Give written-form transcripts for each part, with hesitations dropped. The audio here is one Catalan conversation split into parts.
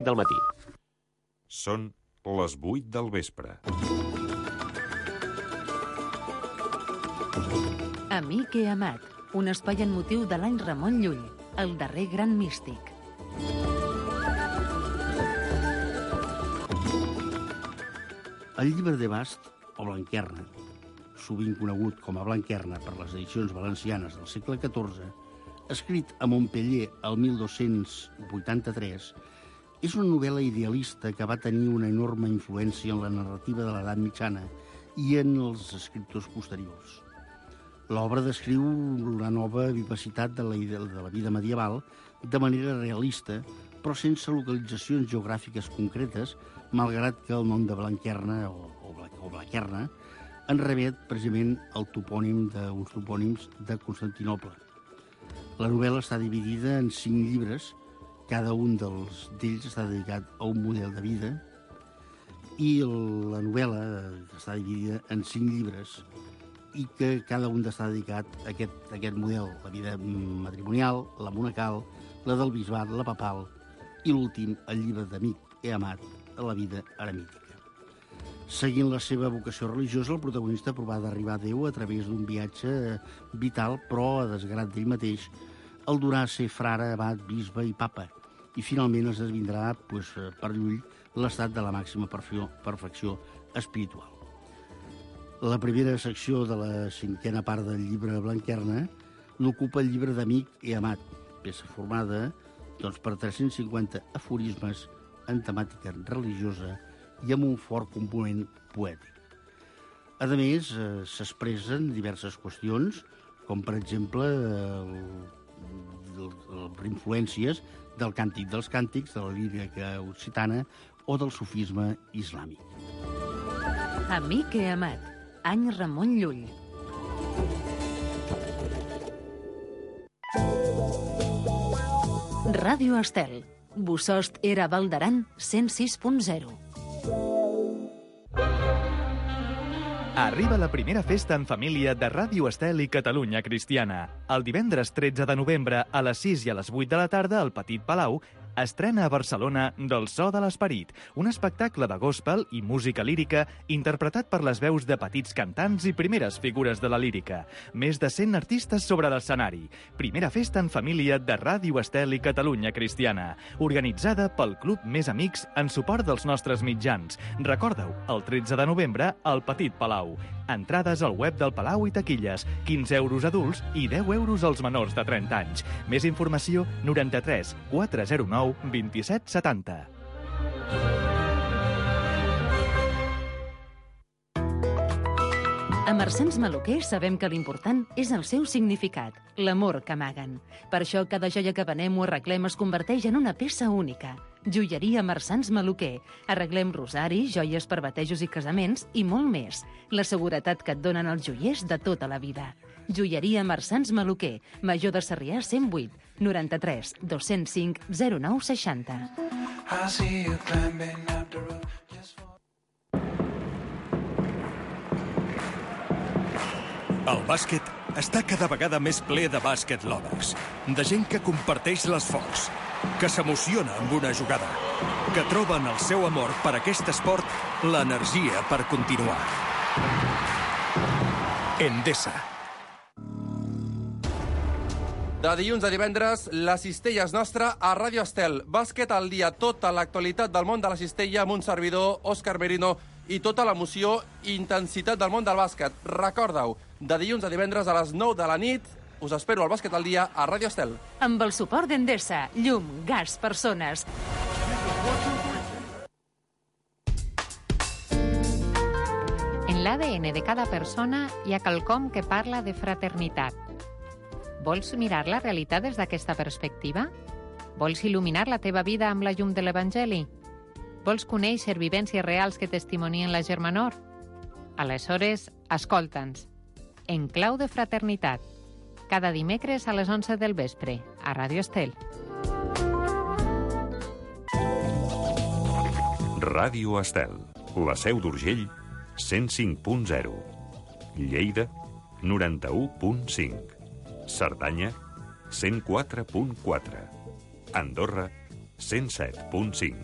del matí. Són les 8 del vespre. Amic he amat, un espai en motiu de l'any Ramon Llull, el darrer gran místic. El llibre de Bast, o Blanquerna, sovint conegut com a Blanquerna per les edicions valencianes del segle XIV, escrit a Montpellier el 1283, és una novel·la idealista que va tenir una enorme influència en la narrativa de l'edat mitjana i en els escriptors posteriors. L'obra descriu la nova vivacitat de la vida medieval de manera realista, però sense localitzacions geogràfiques concretes, malgrat que el nom de Blanquerna o Blaquerna en remet precisament al topònim d'uns topònims de Constantinoble. La novel·la està dividida en 5 llibres, cada un d'ells està dedicat a un model de vida, i la novel·la està dividida en 5 llibres i que cada un està dedicat a aquest model, la vida matrimonial, la monacal, la del bisbat, la papal i l'últim, el llibre d'Amic he amat, a la vida eremítica. Seguint la seva vocació religiosa, el protagonista provà d'arribar a Déu a través d'un viatge vital, però a desgrat d'ell mateix, el durà a ser frare, abat, bisbe i papa, i finalment es desvindrà per Llull l'estat de la màxima perfecció espiritual. La primera secció de la 5a part del llibre Blanquerna l'ocupa el llibre d'Amic he amat, peça formada per 350 aforismes en temàtica religiosa i amb un fort component poètic. A més, s'expressen diverses qüestions, com per exemple influències del càntic dels càntics, de la lírica occitana o del sufisme islàmic. Amic he amat, any Ramon Llull. Ràdio Estel, Bossòst era Val d'Aran 106.0. Arriba la primera festa en família de Ràdio Estel i Catalunya Cristiana. El divendres 13 de novembre a les 6 i a les 8 de la tarda al Petit Palau estrena a Barcelona Del so de l'esperit, un espectacle de gospel i música lírica interpretat per les veus de petits cantants i primeres figures de la lírica. Més de 100 artistes sobre l'escenari. Primera festa en família de Ràdio Estel i Catalunya Cristiana, organitzada pel Club Més Amics en suport dels nostres mitjans. Recordeu, el 13 de novembre al Petit Palau. Entrades al web del Palau i taquilles, 15 euros adults i 10 euros als menors de 30 anys. Més informació, 93 409 27 70. A Marsans Maluquer sabem que l'important és el seu significat, l'amor que amaguen. Per això cada joia que venem o arreglem es converteix en una peça única. Joieria Marsans Maluquer. Arreglem rosaris, joies per batejos i casaments i molt més. La seguretat que et donen els joiers de tota la vida. Joieria Marsans Maluquer, Major de Sarrià 108, 93 205 09 60. El bàsquet està cada vegada més ple de bàsquet lovers, de gent que comparteix l'esforç, que s'emociona amb una jugada, que troba en el seu amor per aquest esport l'energia per continuar. Endesa. De dilluns a divendres, la cistella és nostra a Ràdio Estel. Bàsquet al dia, tota l'actualitat del món de la cistella amb un servidor, Òscar Merino, i tota l'emoció i intensitat del món del bàsquet. Recordeu, de dilluns a divendres a les 9 de la nit, us espero al Bàsquet al dia a Ràdio Estel. Amb el suport d'Endesa, llum, gas, persones. En l'ADN de cada persona hi ha quelcom que parla de fraternitat. Vols mirar la realitat des d'aquesta perspectiva? Vols il·luminar la teva vida amb la llum de l'Evangeli? Vols conèixer vivències reals que testimonien la germanor? Aleshores, escolta'ns. En clau de fraternitat. Cada dimecres a les 11 del vespre, a Ràdio Estel. Ràdio Estel, la Seu d'Urgell, 105.0. Lleida, 91.5. Cerdanya, 104.4. Andorra, 107.5.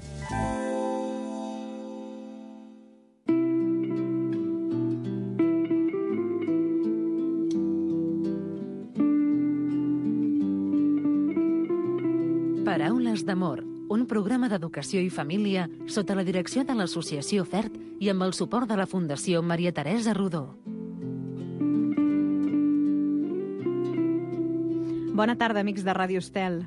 Paraules d'amor, un programa d'educació i família sota la direcció de l'Associació FERT i amb el suport de la Fundació Maria Teresa Rodó. Bona tarda, amics de Ràdio Estel.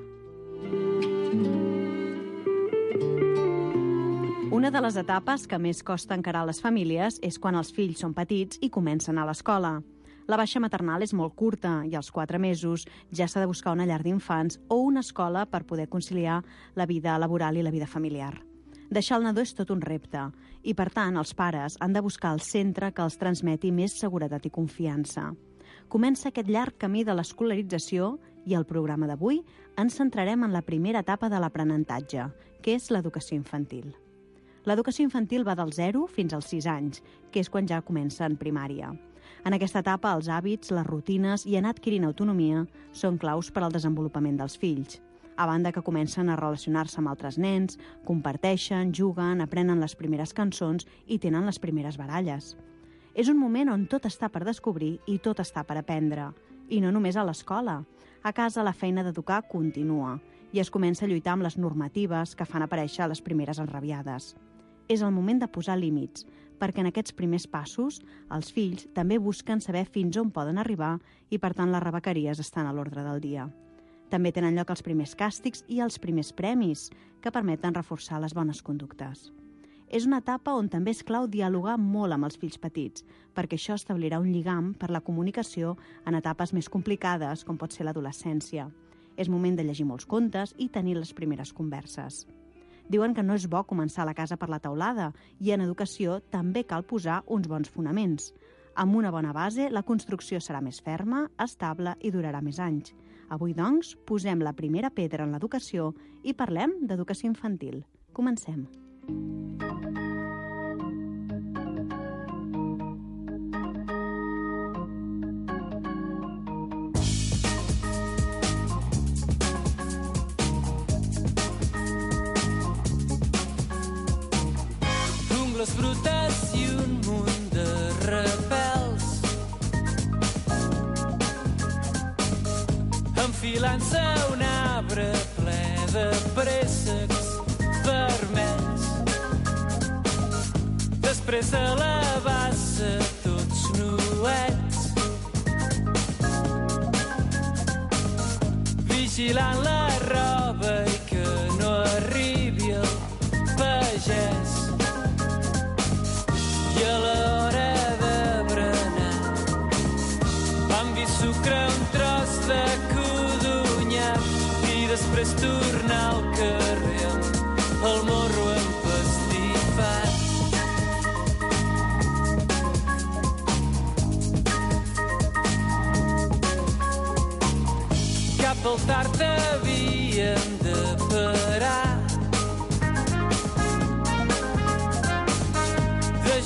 Una de les etapes que més costa encarar a les famílies és quan els fills són petits i comencen a l'escola. La baixa maternal és molt curta i als 4 mesos ja s'ha de buscar una llar d'infants o una escola per poder conciliar la vida laboral i la vida familiar. Deixar el nadó és tot un repte i, per tant, els pares han de buscar el centre que els transmeti més seguretat i confiança. Comença aquest llarg camí de l'escolarització i al programa d'avui ens centrarem en la primera etapa de l'aprenentatge, que és l'educació infantil. L'educació infantil va del 0 fins als 6 anys, que és quan ja comença en primària. En aquesta etapa, els hàbits, les rutines i anar adquirint autonomia són claus per al desenvolupament dels fills. A banda que comencen a relacionar-se amb altres nens, comparteixen, juguen, aprenen les primeres cançons i tenen les primeres baralles. És un moment on tot està per descobrir i tot està per aprendre. I no només a l'escola. A casa la feina d'educar continua i es comença a lluitar amb les normatives que fan aparèixer les primeres enrabiades. És el moment de posar límits, perquè en aquests primers passos els fills també busquen saber fins on poden arribar i, per tant, les rebequeries estan a l'ordre del dia. També tenen lloc els primers càstigs i els primers premis, que permeten reforçar les bones conductes. És una etapa on també és clau dialogar molt amb els fills petits, perquè això establirà un lligam per la comunicació en etapes més complicades, com pot ser l'adolescència. És moment de llegir molts contes i tenir les primeres converses. Diuen que no és bo començar la casa per la teulada i en educació també cal posar uns bons fonaments. Amb una bona base, la construcció serà més ferma, estable i durarà més anys. Avui, doncs, posem la primera pedra en l'educació i parlem d'educació infantil. Comencem. Les brutes i un munt de rebels enfilant-se a un arbre ple de préssecs vermells. Després de la bassa tots nuets, vigilant la roba i que no arribi el pagès. I a l'hora de berenar vam dir sucre un tros de codonyac i després tornar al carrer amb el morro empastifat. Cap al tard havíem de parar,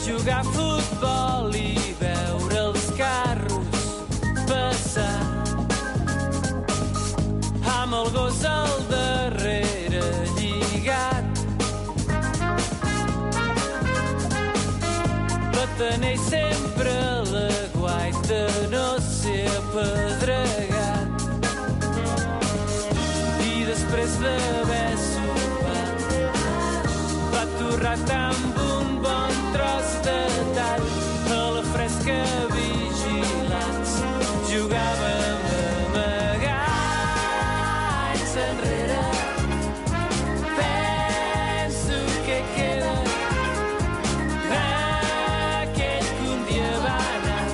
jugar a futbol i veure els carros passar amb el gos al darrere lligat. Batanell sempre la guait de no ser apedregat i després d'haver sopat va torrat amb un bon tros de tall a la fresca vigilants. Jugàvem amagats enrere. Penso que queda d'aquell que un dia va anar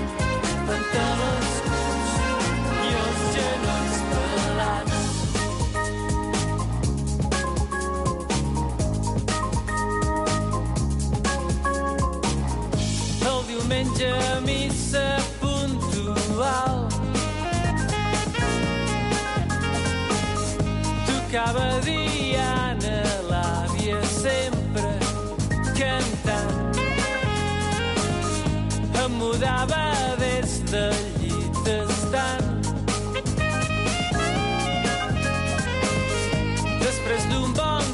pantalons curts i els genolls pelats. Diumenge a missa puntual tocava Diana, l'àvia sempre cantant. Em mudava des del llit estant. Després d'un bon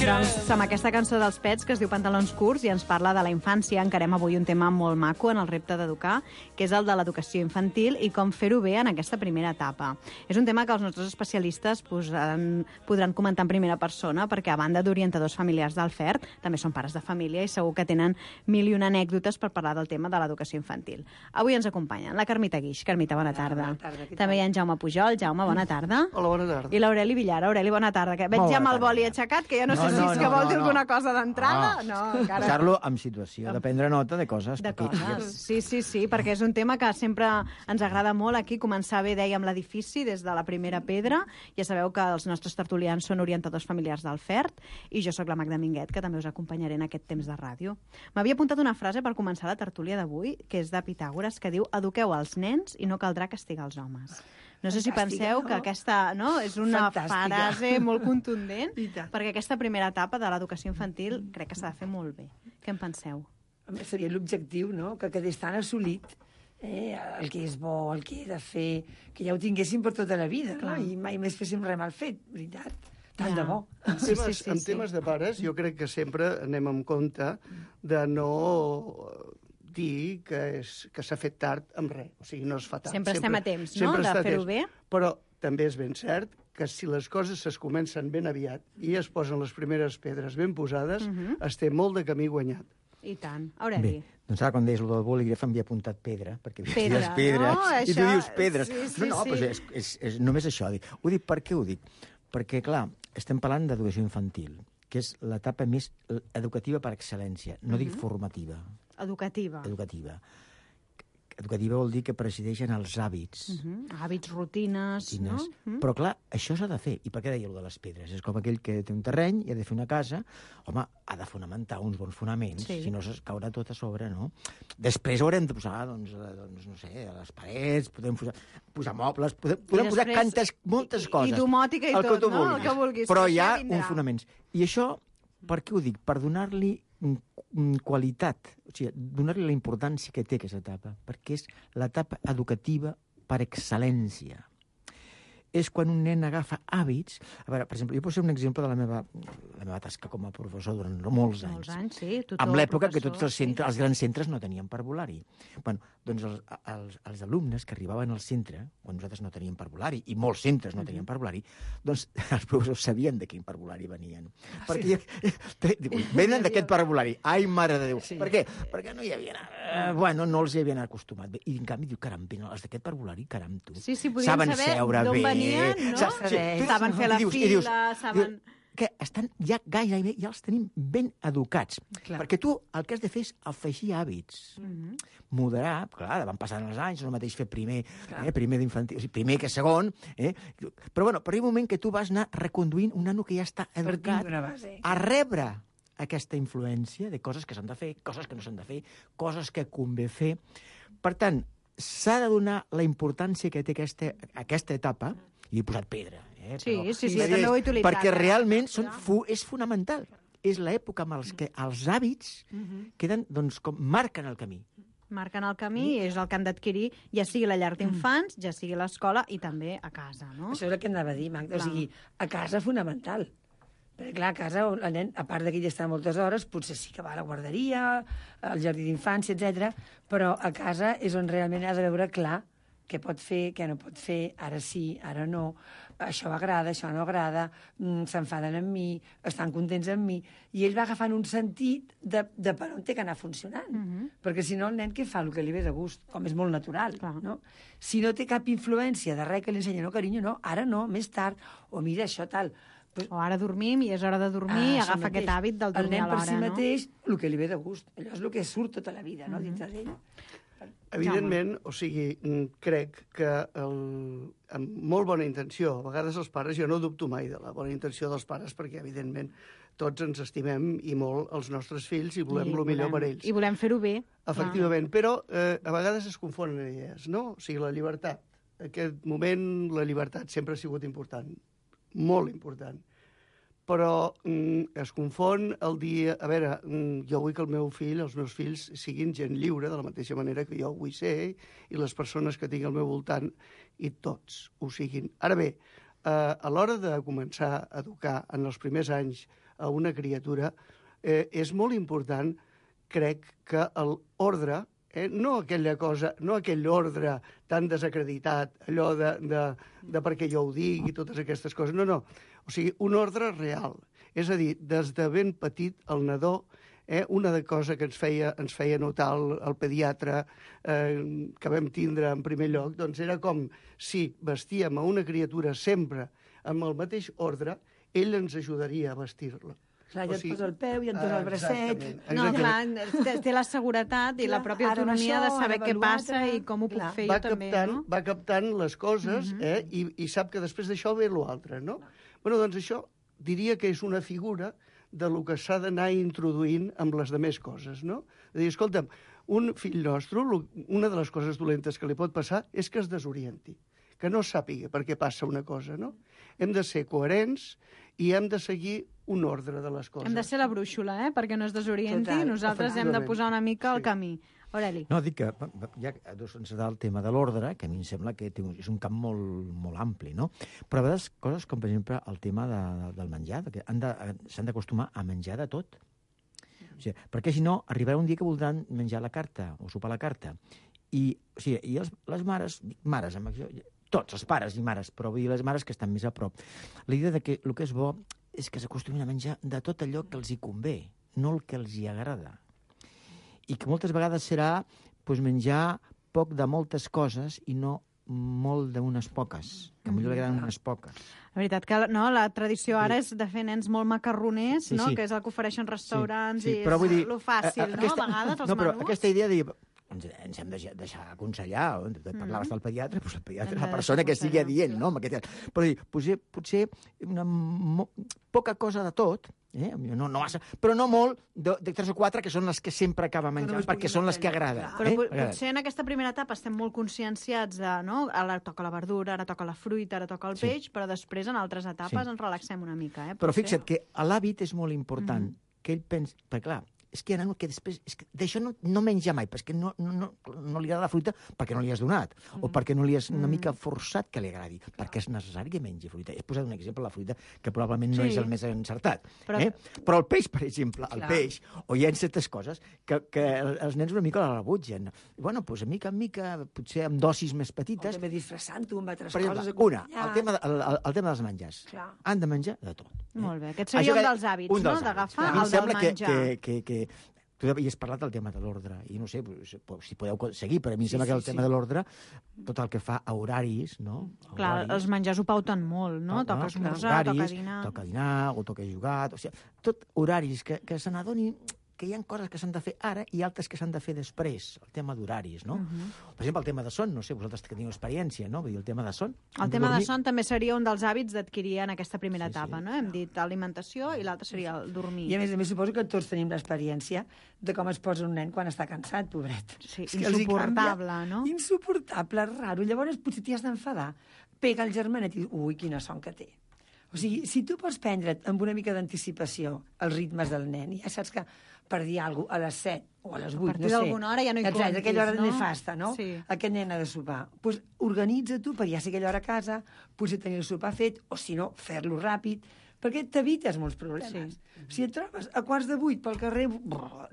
Doncs amb aquesta cançó dels Pets que es diu Pantalons curts i ens parla de la infància, encarem avui un tema molt maco en el repte d'educar, que és el de l'educació infantil i com fer-ho bé en aquesta primera etapa. És un tema que els nostres especialistes podran comentar en primera persona perquè a banda d'orientadors familiars del FERT, també són pares de família i segur que tenen mil i una anècdotes per parlar del tema de l'educació infantil. Avui ens acompanyen la Carmita Guix. Carmita, bona tarda. També hi ha en Jaume Pujol. Jaume, bona tarda. Hola, bona tarda. I l'Aureli Villar. Aureli, bona tarda. Que veig ja amb el boli aixecat, que ja no sé si és que vol dir alguna cosa d'entrada. No, encara. Posar-lo en situació, de prendre nota de coses. De coses. Sí, perquè és un tema que sempre ens agrada molt aquí, començar bé, dèiem, l'edifici des de la primera pedra. Ja sabeu que els nostres tertulians són orientadors familiars del FERT i jo sóc la Magda Minguet, que també us acompanyaré en aquest temps de ràdio. M'havia apuntat una frase per començar la tertúlia d'avui, que és de Pitàgores, que diu: eduqueu els nens i no caldrà castigar els homes. No sé si penseu que aquesta és una frase molt contundent, perquè aquesta primera etapa de l'educació infantil crec que s'ha de fer molt bé. Què en penseu? Seria l'objectiu, no?, que quedés tan assolit el que és bo, el que he de fer, que ja ho tinguéssim per tota la vida, no? I mai més féssim res mal fet, veritat. Tant de bo. En temes de pares, jo crec que sempre anem amb compte de no dir que s'ha fet tard amb res. O sigui, no es fa tard. Sempre estem a temps, no?, de fer-ho bé. Però també és ben cert que si les coses es comencen ben aviat i es posen les primeres pedres ben posades, es té molt de camí guanyat. I tant. Aureli. Bé, doncs ara quan deies el del bolígraf m'havia apuntat pedra, perquè pedra, pedres, no? I tu dius pedres. Sí, no, però és només això. Ho dic, per què ho dic? Perquè, clar, estem parlant d'educació infantil, que és l'etapa més educativa per excel·lència, no dic formativa. Educativa. Educativa vol dir que presideixen els hàbits. Hàbits, rutines, no? Però, clar, això s'ha de fer. I per què deia allò de les pedres? És com aquell que té un terreny i ha de fer una casa. Home, ha de fonamentar uns bons fonaments, si no es caurà tot a sobre, no? Després haurem de posar, doncs no sé, a les parets, podem posar mobles, podem posar moltes coses. I domòtica i tot, no? El que vulguis. Però hi ha uns fonaments. I això, per què ho dic? Per donar-li qualitat, o sigui, donar-li la importància que té aquesta etapa, perquè és l'etapa educativa per excel·lència. És quan un nen agafa hàbits. A veure, per exemple, jo poso un exemple de la meva tasca com a professor durant molts anys. Molts anys, sí. Amb l'època que tots els grans centres no tenien parvulari. Bueno, doncs els alumnes que arribaven al centre, quan nosaltres no teníem parvulari, i molts centres no tenien parvulari, doncs els professors sabien de quin parvulari venien. Perquè venen d'aquest parvulari. Ai, mare de Déu. Per què? Perquè no hi havia... Bueno, no els hi havien acostumat. I en canvi diu, caram, els d'aquest parvulari, caram, tu. Sí, podien saber d'on venien, no? Saben fer la fila, saben... Que estan ja gairebé, ja els tenim ben educats. Perquè tu el que has de fer és afegir hàbits. Moderar, clar, van passant els anys, no el mateix fer primer d'infantil, o sigui, primer que segon, però bueno, per un moment que tu vas anar reconduint un nano que ja està educat a rebre aquesta influència de coses que s'han de fer, coses que no s'han de fer, coses que convé fer. Per tant, s'ha de donar la importància que té aquesta etapa, i he posat pedra. Sí, també ho he utilitzat. Perquè realment és fonamental. És l'època en què els hàbits queden, doncs, com marquen el camí. Marquen el camí i és el que han d'adquirir, ja sigui la llar d'infants, ja sigui l'escola i també a casa, no? Això és el que anava a dir, Magda. O sigui, a casa fonamental. Perquè, clar, a casa, el nen, a part que hi està moltes hores, potser sí que va a la guarderia, al jardí d'infància, etc. Però a casa és on realment has de veure clar què pot fer, què no pot fer, ara sí, ara no, això agrada, això no agrada, s'enfaden amb mi, estan contents amb mi, i ell va agafant un sentit de per on té que anar funcionant. Perquè si no, el nen què fa? El que li ve de gust, com és molt natural, no? Si no té cap influència de res que li ensenya, no, carinyo, no, ara no, més tard, o mira, això tal... O ara dormim i és hora de dormir i agafa aquest hàbit del dormir a l'hora, no? El nen per si mateix, el que li ve de gust, allò és el que surt tota la vida, no?, dintre d'ell. Evidentment, o sigui, crec que amb molt bona intenció, a vegades els pares, jo no dubto mai de la bona intenció dels pares, perquè, evidentment, tots ens estimem i molt els nostres fills i volem el millor per ells. I volem fer-ho bé. Efectivament, però a vegades es confonen idees, no? O sigui, la llibertat. En aquest moment, la llibertat sempre ha sigut important, molt important. Però es confon el dia... A veure, jo vull que el meu fill, els meus fills, siguin gent lliure, de la mateixa manera que jo ho vull ser, i les persones que tinc al meu voltant, i tots ho siguin. Ara bé, a l'hora de començar a educar en els primers anys a una criatura, és molt important, crec, que l'ordre, no aquella cosa, no aquell ordre tan desacreditat, allò de perquè jo ho dic i totes aquestes coses, no. O sigui, un ordre real. És a dir, des de ben petit el nadó, una cosa que ens feia notar el pediatre que vam tindre en primer lloc, doncs era com si vestíem a una criatura sempre amb el mateix ordre, ell ens ajudaria a vestir-la. Clar, ja et posa el peu, ja et posa el bracet... No, clar, té la seguretat i la pròpia autonomia de saber què passa i com ho puc fer jo també, no? Va captant les coses i sap que després d'això ve l'altre, no? Bueno, doncs això diria que és una figura de lo que s'ha d'anar introduint amb les demés coses, no? És a dir, escolta'm, un fill nostre, una de les coses dolentes que li pot passar és que es desorienti, que no sàpiga per què passa una cosa, no? Hem de ser coherents i hem de seguir un ordre de les coses. Hem de ser la brúixola, perquè no es desorienti. Nosaltres hem de posar una mica al camí. Aureli. No, dic que ja ens da el tema de l'ordre, que a mi em sembla que és un camp molt ampli, no? Però a vegades coses com, per exemple, el tema del menjar, que s'han d'acostumar a menjar de tot. O sigui, perquè si no, arribarà un dia que voldran menjar la carta o sopar la carta. I les mares, tots els pares i mares, però vull dir les mares que estan més a prop, la idea de que el que és bo és que s'acostumin a menjar de tot allò que els hi convé, no el que els hi agrada. I que moltes vegades serà menjar poc de moltes coses i no molt d'unes poques, que potser li agraden unes poques. La veritat que la tradició ara és de fer nens molt macarroners, que és el que ofereixen restaurants i és el fàcil, no? A vegades els menús. No, però aquesta idea de ens hem de deixar aconsellar, parlaves del pediatre, doncs el pediatre és la persona que sigui adient, no? Però potser una poca cosa de tot, no massa, però no molt, de 3 o 4, que són les que sempre acaba menjant, perquè són les que agraden. Però potser en aquesta primera etapa estem molt conscienciats de, no? Ara toca la verdura, ara toca la fruita, ara toca el peix, però després en altres etapes ens relaxem una mica. Però fixa't que l'hàbit és molt important, que ell pensa, perquè clar, és que que després d'això no menja mai, perquè no li agrada la fruita perquè no li has donat, o perquè no li has una mica forçat que li agradi, perquè és necessari que mengi fruita. He posat un exemple, la fruita, que probablement no és el més encertat. Però el peix, per exemple, o hi ha certes coses que els nens una mica la rebutgen. Bueno, doncs mica en mica, potser amb dosis més petites... O també disfressant-ho amb altres coses. Una, el tema dels menjars. Han de menjar de tot. Molt bé, aquest seria un dels hàbits, no?, d'agafar el del menjar. Tu havies parlat del tema de l'ordre, i no sé si podeu seguir, però a mi em sembla que el tema de l'ordre, tot el que fa a horaris, no? Clar, els menjars ho pauten molt, no? Toca esmorzar, toca dinar... Toca dinar, o toca jugar... O sigui, tot horaris que se n'adonin que hi ha coses que s'han de fer ara i altres que s'han de fer després, el tema d'horaris, no? Per exemple, el tema de son, no sé, vosaltres que teniu experiència, no? Vull dir, el tema de son... El tema de son també seria un dels hàbits d'adquirir en aquesta primera etapa, no? Hem dit alimentació i l'altre seria el dormir. I a més suposo que tots tenim l'experiència de com es posa un nen quan està cansat, pobret. Sí, insuportable, no? Insuportable, raro. Llavors potser t'hi has d'enfadar. Pega el germanet i dius, ui, quina son que té. O sigui, si tu pots prendre't amb una mica d'anticipació els ritmes del nen, ja saps que per dir alguna cosa a les 7 o a les 8, no sé... A partir d'alguna hora ja no hi comptis, aquella hora nefasta, no? Aquest nen ha de sopar. Doncs organitza tu per ja ser aquella hora a casa, potser tenir el sopar fet, o si no, fer-lo ràpid, perquè t'evites molts problemes. Si et trobes a 7:15 pel carrer,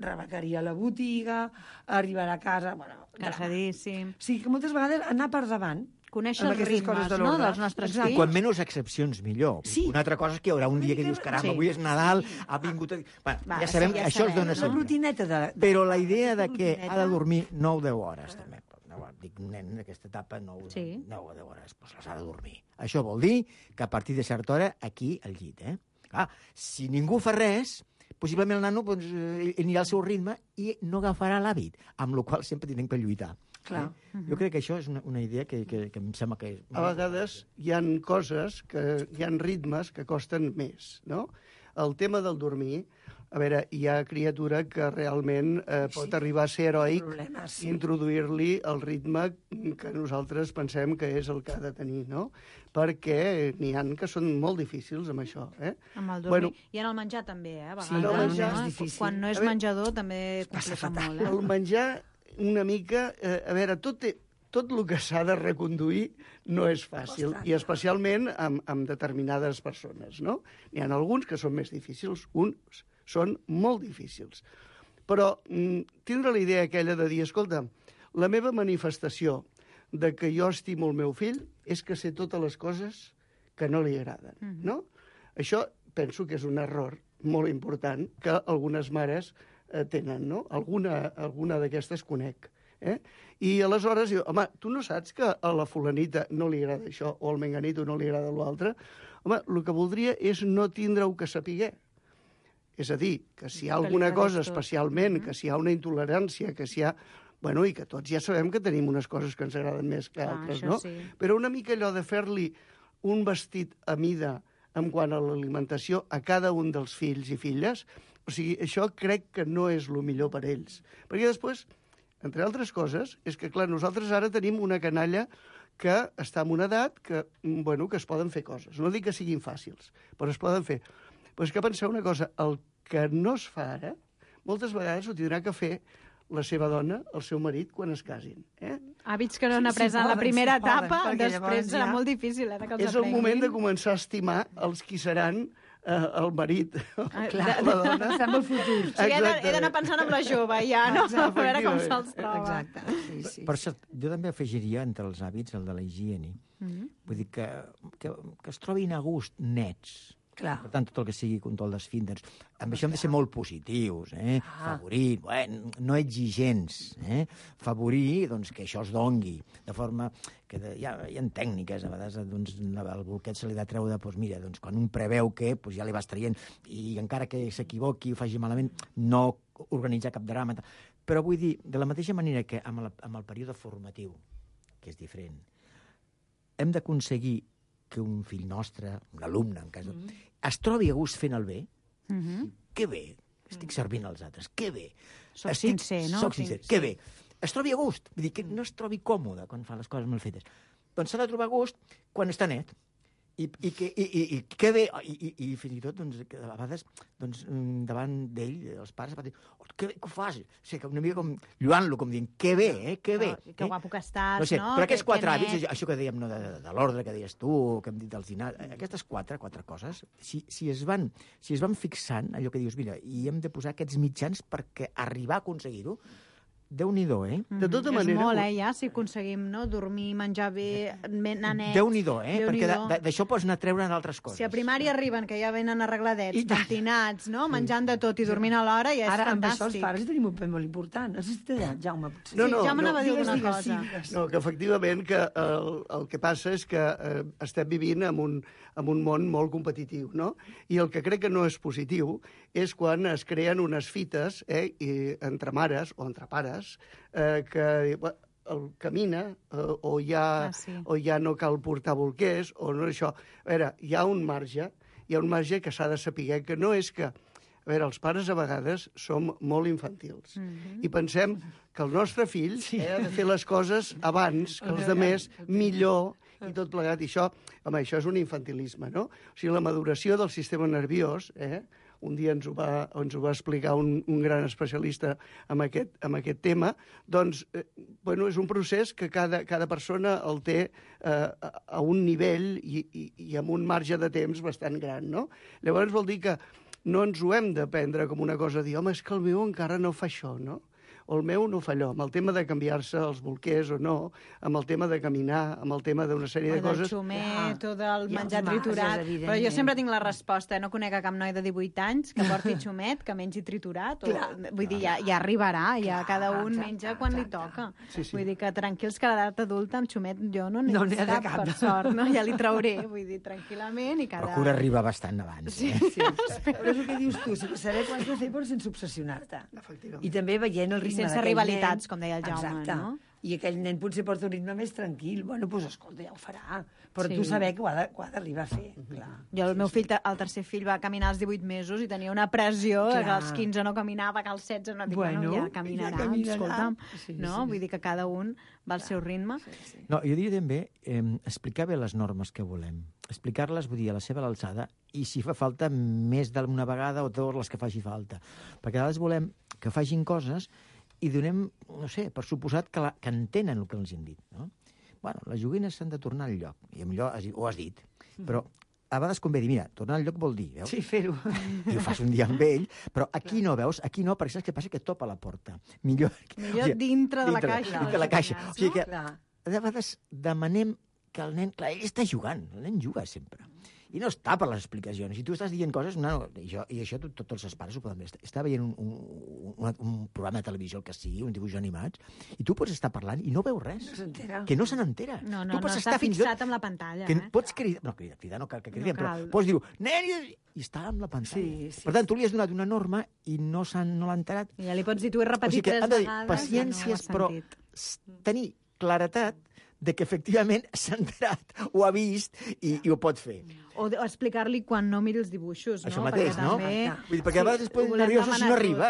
rebecaria a la botiga, arribarà a casa... Cansadíssim. O sigui que moltes vegades anar per davant, conèixer els ritmes, no?, dels nostres fills. Quan menys excepcions, millor. Una altra cosa és que hi haurà un dia que dius, caram, avui és Nadal, ha vingut... Ja sabem que això es dona sempre. La rutineta de... Però la idea de que ha de dormir 9 o 10 hores, també. Dic, un nen en aquesta etapa 9 o 10 hores, doncs les ha de dormir. Això vol dir que a partir de certa hora, aquí, al llit, Clar, si ningú fa res, possiblement el nano anirà al seu ritme i no agafarà l'hàbit, amb la qual sempre tenim que lluitar. Jo crec que això és una idea que em sembla que... A vegades hi ha coses, hi ha ritmes que costen més, no? El tema del dormir, a veure, hi ha criatura que realment pot arribar a ser heroic, introduir-li el ritme que nosaltres pensem que és el que ha de tenir, no? Perquè n'hi ha que són molt difícils amb això, Amb el dormir. I en el menjar també, a vegades. Quan no és menjador també complica molt, El menjar una mica... A veure, tot tot el que s'ha de reconduir no és fàcil, i especialment amb determinades persones, no? N'hi ha alguns que són més difícils, uns són molt difícils. Però tindre la idea aquella de dir, escolta, la meva manifestació de que jo estimo el meu fill és que sé totes les coses que no li agraden, no? Això penso que és un error molt important que algunes mares tenen, no? Alguna d'aquestes conec. I aleshores diu, home, tu no saps que a la fulanita no li agrada això o al menganito no li agrada l'altre? Home, el que voldria és no tindre-ho que sapiguer. És a dir, que si hi ha alguna cosa especialment, que si hi ha una intolerància, que si hi ha... Bueno, i que tots ja sabem que tenim unes coses que ens agraden més que altres, no? Sí. Però una mica allò de fer-li un vestit a mida en quant a l'alimentació a cada un dels fills i filles, o sigui, això crec que no és el millor per ells. Perquè després, entre altres coses, és que, clar, nosaltres ara tenim una canalla que està en una edat que, bueno, que es poden fer coses. No dic que siguin fàcils, però es poden fer. Però és que penseu una cosa, el que no es fa ara, moltes vegades ho tindrà que fer la seva dona, el seu marit, quan es casin. Hàbits que no han après en la primera etapa, després serà molt difícil que els aprenguin. És el moment de començar a estimar els qui seran el marit, la dona. Estem al futur. O sigui, he d'anar pensant en la jove, ja, no? A veure com se'ls troba. Exacte, sí. Per cert, jo també afegiria entre els hàbits el de la higiene. Vull dir que es trobin a gust nets. Clar. Per tant, tot el que sigui control d'esfínters. Amb això hem de ser molt positius, favorir, no exigents, favorir doncs, que això es dongui, de forma que hi ha tècniques, a vegades doncs, el bolquet se li ha de treure, doncs, mira, doncs, quan un preveu que doncs, ja li vas traient, i encara que s'equivoqui o faci malament, no organitzar cap drama. Però vull dir, de la mateixa manera que amb el període formatiu, que és diferent, hem d'aconseguir que un fill nostre, un alumne, en cas es trobi a gust fent el bé, que bé, estic servint als altres, que bé. Soc sincer, no? Soc sincer, que bé. Es trobi a gust, vull dir, que no es trobi còmode quan fa les coses mal fetes. Doncs s'ha de trobar a gust quan està net. I que bé, i fins i tot, doncs, a vegades, doncs, davant d'ell, els pares, van dir, que bé que ho fas? O sigui, una mica com lluant-lo, com dient, que bé, que bé. Que guapo que estàs, no? Sé, no? Però aquests quatre hàbits, això que dèiem, no, de l'ordre que deies tu, que hem dit dels dinars, aquestes quatre coses, si es van fixant, allò que dius, mira, i hem de posar aquests mitjans perquè arribar a aconseguir-ho, Déu-n'hi-do, De tota manera... És molt, ja, si aconseguim, no? Dormir, menjar bé, anar nets... Déu-n'hi-do, perquè d'això pots anar a treure d'altres coses. Si a primària arriben, que ja venen arregladets, pentinats, no? Menjant de tot i dormint a l'hora, ja és ara, fantàstic. Ara, amb això els pares tenim un paper molt important. No sé si t'ha dit, Jaume, potser. No, Jaume anava a dir alguna cosa. No, que efectivament que el que passa és que estem vivint en un món molt competitiu, no? I el que crec que no és positiu és quan es creen unes fites entre mares o entre pares que camina o ja no cal portar bolquers o no això. A veure, hi ha un marge que s'ha de saber que no és que... A veure, els pares a vegades som molt infantils i pensem que el nostre fill ha de fer les coses abans que els altres, millor i tot plegat. I això, home, això és un infantilisme, no? O sigui, la maduració del sistema nerviós, un dia ens ho va explicar un gran especialista en aquest tema, doncs, bueno, és un procés que cada persona el té a un nivell i amb un marge de temps bastant gran, no? Llavors vol dir que no ens ho hem de prendre com una cosa de dir, home, és que el meu encara no fa això, no? O el meu no fa allò, amb el tema de canviar-se els bolquers o no, amb el tema de caminar, amb el tema d'una sèrie de coses... O del xumet, o del menjar triturat... Però jo sempre tinc la resposta, no conec a cap noi de 18 anys que porti xumet, que mengi triturat, vull dir, ja arribarà, ja cada un menja quan li toca. Vull dir que tranquils que a l'edat adulta amb xumet jo no n'he cap, per sort, no? Ja li trauré, vull dir, tranquil·lament i cada... Procura arribar bastant abans. Sí, però és el que dius tu, saber quan has de fer però sense obsessionar-te. I també veient el ritme sense rivalitats, com deia el Jaume, no? I aquell nen potser porta un ritme més tranquil. Bueno, doncs escolta, ja ho farà. Però tu saber que ho ha d'arribar a fer, clar. Jo, el meu fill, el tercer fill, va caminar als 18 mesos i tenia una pressió que als 15 no caminava, que als 16 no... Dic, bueno, ja caminarà, escolta'm. No? Vull dir que cada un va al seu ritme. No, jo diria també explicar bé les normes que volem. Explicar-les, vull dir, a la seva alçada, i si fa falta més d'una vegada o dues les que faci falta. Perquè a vegades volem que facin coses i donem, no sé, per suposat que entenen el que els hem dit, no? Bueno, les joguines s'han de tornar al lloc, i millor ho has dit, però a vegades convé dir, mira, tornar al lloc vol dir, veus? Sí, fer-ho. I ho fas un dia amb ell, però aquí no, veus? Aquí no, perquè saps què passa? Que topa la porta. Millor dintre de la caixa. Dintre de la caixa. O sigui que, de vegades, demanem que el nen... Clar, ell està jugant, el nen juga sempre. I no està per les explicacions. Si tu estàs dient coses... I això tots els pares ho poden veure. Està veient un programa de televisió, el que sigui, un dibuix animat, i tu pots estar parlant i no veus res. No s'entera. Que no se n'entera. No està fixat amb la pantalla. Pots cridar... No, cridar no cal que cridem, però pots dir-ho, nen, i està amb la pantalla. Sí. Per tant, tu li has donat una norma i no l'ha enterat. I ja li pots dir, tu he repetit 3 vegades. Paciències, però tenir claretat de que efectivament s'ha enterat, ho ha vist i ho pot fer. O explicar-li quan no miri els dibuixos, no? Això mateix, perquè no? També... Perquè a vegades es poden nerviosos si no arriba.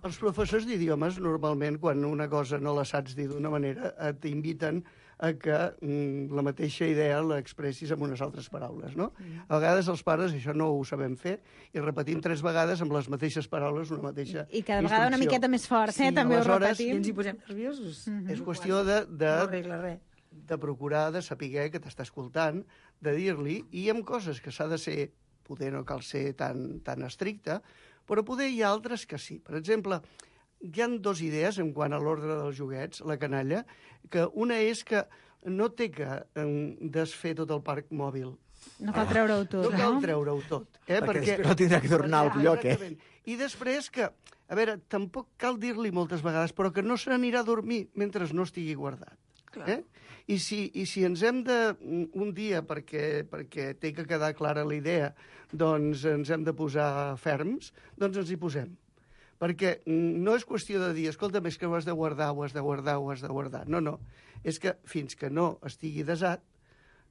Els professors d'idiomes, normalment, quan una cosa no la saps dir d'una manera, t'inviten a que la mateixa idea l'expressis amb unes altres paraules, no? A vegades els pares això no ho sabem fer i repetim 3 vegades amb les mateixes paraules una mateixa I cada vegada una miqueta més fort, també ho repetim. I ens hi posem nerviosos. És qüestió de procurar, de saber que t'està escoltant, de dir-li, i amb coses que s'ha de ser, poder no cal ser tan estricte, però poder hi ha altres que sí. Per exemple, hi ha 2 idees en quant a l'ordre dels joguets, la canalla, que una és que no té que desfer tot el parc mòbil. No cal treure-ho tot, no? No cal treure-ho tot. Perquè després no tindrà que tornar al lloc, I després que, a veure, tampoc cal dir-li moltes vegades, però que no se n'anirà a dormir mentre no estigui guardat. I si ens hem de, un dia, perquè té que quedar clara la idea, doncs ens hem de posar ferms, doncs ens hi posem. Perquè no és qüestió de dir, escolta, és que ho has de guardar, ho has de guardar, ho has de guardar. No. És que fins que no estigui desat,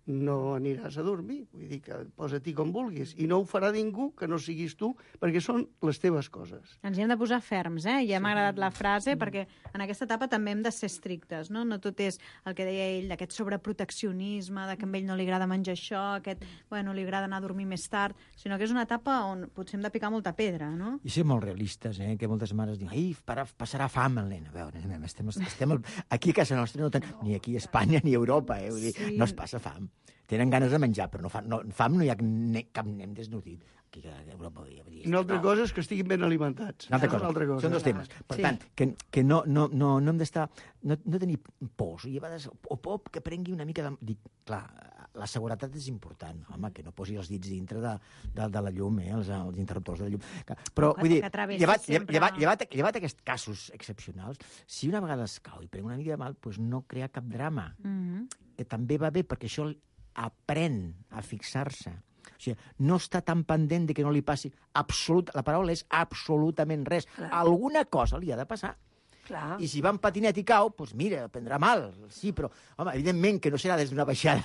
no aniràs a dormir. Vull dir que posa-t'hi com vulguis. I no ho farà ningú que no siguis tu, perquè són les teves coses. Ens hi hem de posar ferms, Ja m'ha agradat la frase, perquè en aquesta etapa també hem de ser estrictes, no? No tot és el que deia ell, d'aquest sobreproteccionisme, que a ell no li agrada menjar això, li agrada anar a dormir més tard, sinó que és una etapa on potser hem de picar molta pedra, no? I ser molt realistes, que moltes mares diuen, ai, passarà fam el nen. A veure, estem aquí a casa nostra, ni aquí a Espanya ni a Europa, vull dir, no es passa fam. Tenen ganes de menjar, però fam no hi ha cap nen desnodrit. Aquí a Europa podria dir... Una altra cosa és que estiguin ben alimentats. Una altra cosa. Són 2 temes. Per tant, que no hem d'estar... No tenir pors. I a vegades, o por que prengui una mica de... Clar, la seguretat és important. Home, que no posi els dits dintre de la llum, els interruptors de la llum. Però, vull dir, llevat aquests casos excepcionals, si una vegada es cau i pren una mica de mal, doncs no crea cap drama. Que també va bé, perquè això aprèn a fixar-se. O sigui, no està tan pendent de que no li passi la paraula és absolutament res. Alguna cosa li ha de passar. I si va en patinet i cau, doncs mira, prendrà mal. Sí, però, home, evidentment que no serà des d'una baixada.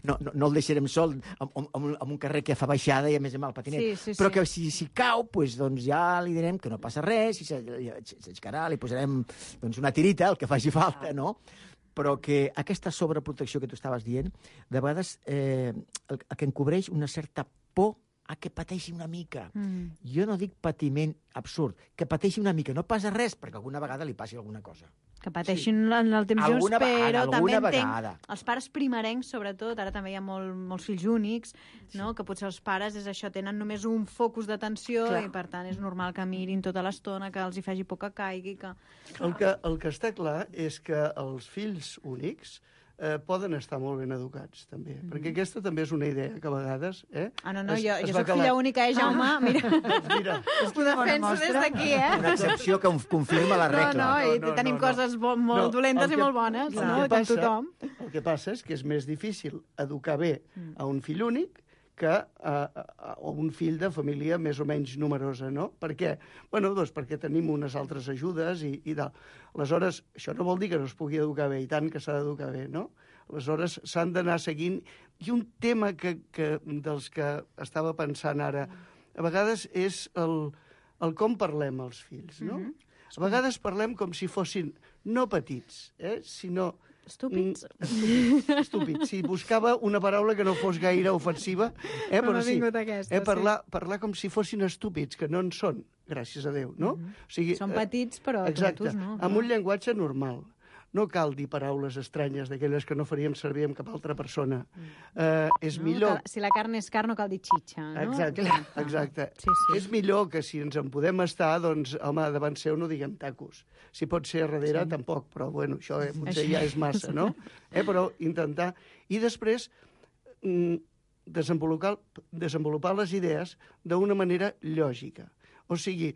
No el deixarem sol en un carrer que fa baixada i a més amb el patinet. Però que si cau, doncs ja li direm que no passa res, si s'aixecarà, li posarem una tirita, el que faci falta, no? Però que aquesta sobreprotecció que tu estaves dient, de vegades el que encobreix una certa por a que pateixi una mica. Jo no dic patiment absurd, que pateixi una mica. No passa res, perquè alguna vegada li passi alguna cosa. Que pateixin en el temps just, però també entenc els pares primerencs, sobretot, ara també hi ha molts fills únics, no? Que potser els pares tenen només un focus d'atenció i, per tant, és normal que mirin tota l'estona, que els hi faci por que caigui. El que està clar és que els fills únics poden estar molt ben educats, també. Perquè aquesta també és una idea que a vegades... Jo soc filla única, Jaume? Mira. Ho defenso des d'aquí, Una excepció que confirma la regla. I tenim coses molt dolentes i molt bones, com tothom. El que passa és que és més difícil educar bé a un fill únic que un fill de família més o menys numerosa, no? Per què? Doncs perquè tenim unes altres ajudes i tal. Aleshores, això no vol dir que no es pugui educar bé, i tant que s'ha d'educar bé, no? Aleshores, s'han d'anar seguint. I un tema dels que estava pensant ara, a vegades és el com parlem als fills, no? A vegades parlem com si fossin no petits, sinó Estúpids? Estúpids. Si buscava una paraula que no fos gaire ofensiva, però sí, parlar com si fossin estúpids, que no en són, gràcies a Déu, no? O sigui, són petits, però tontos no. Amb un llenguatge normal. No cal dir paraules estranyes d'aquelles que no faríem servir amb cap altra persona. És millor... Si la carn és carn, no cal dir xitxa, no? Exacte. És millor que si ens en podem estar, doncs, home, davant seu no diguem tacos. Si pot ser a darrere, tampoc, però, bueno, això potser ja és massa, no? Però intentar... I després, desenvolupar les idees d'una manera lògica. O sigui,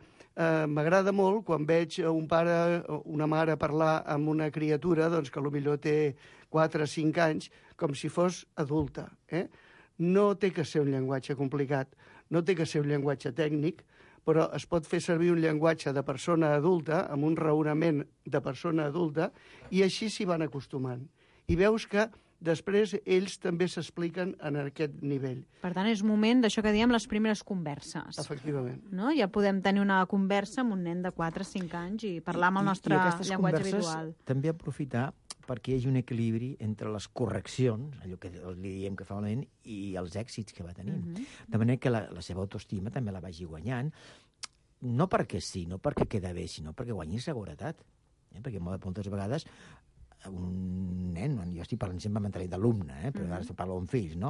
m'agrada molt quan veig un pare o una mare parlar amb una criatura doncs, que potser té 4 o 5 anys, com si fos adulta. No té que ser un llenguatge complicat, no té que ser un llenguatge tècnic, però es pot fer servir un llenguatge de persona adulta, amb un raonament de persona adulta, i així s'hi van acostumant. I veus que després ells també s'expliquen en aquest nivell. Per tant, és moment d'això que diem les primeres converses. Efectivament. No? Ja podem tenir una conversa amb un nen de 4 o 5 anys i parlar amb el nostre llenguatge habitual. També aprofitar perquè hi hagi un equilibri entre les correccions, allò que li diem que fa malament, i els èxits que va tenint. De manera que la seva autoestima també la vagi guanyant, no perquè sí, no perquè queda bé, sinó perquè guanyi seguretat. Perquè moltes vegades un nen, jo estic parlant sempre d'alumne, però ara parlo amb fills, no?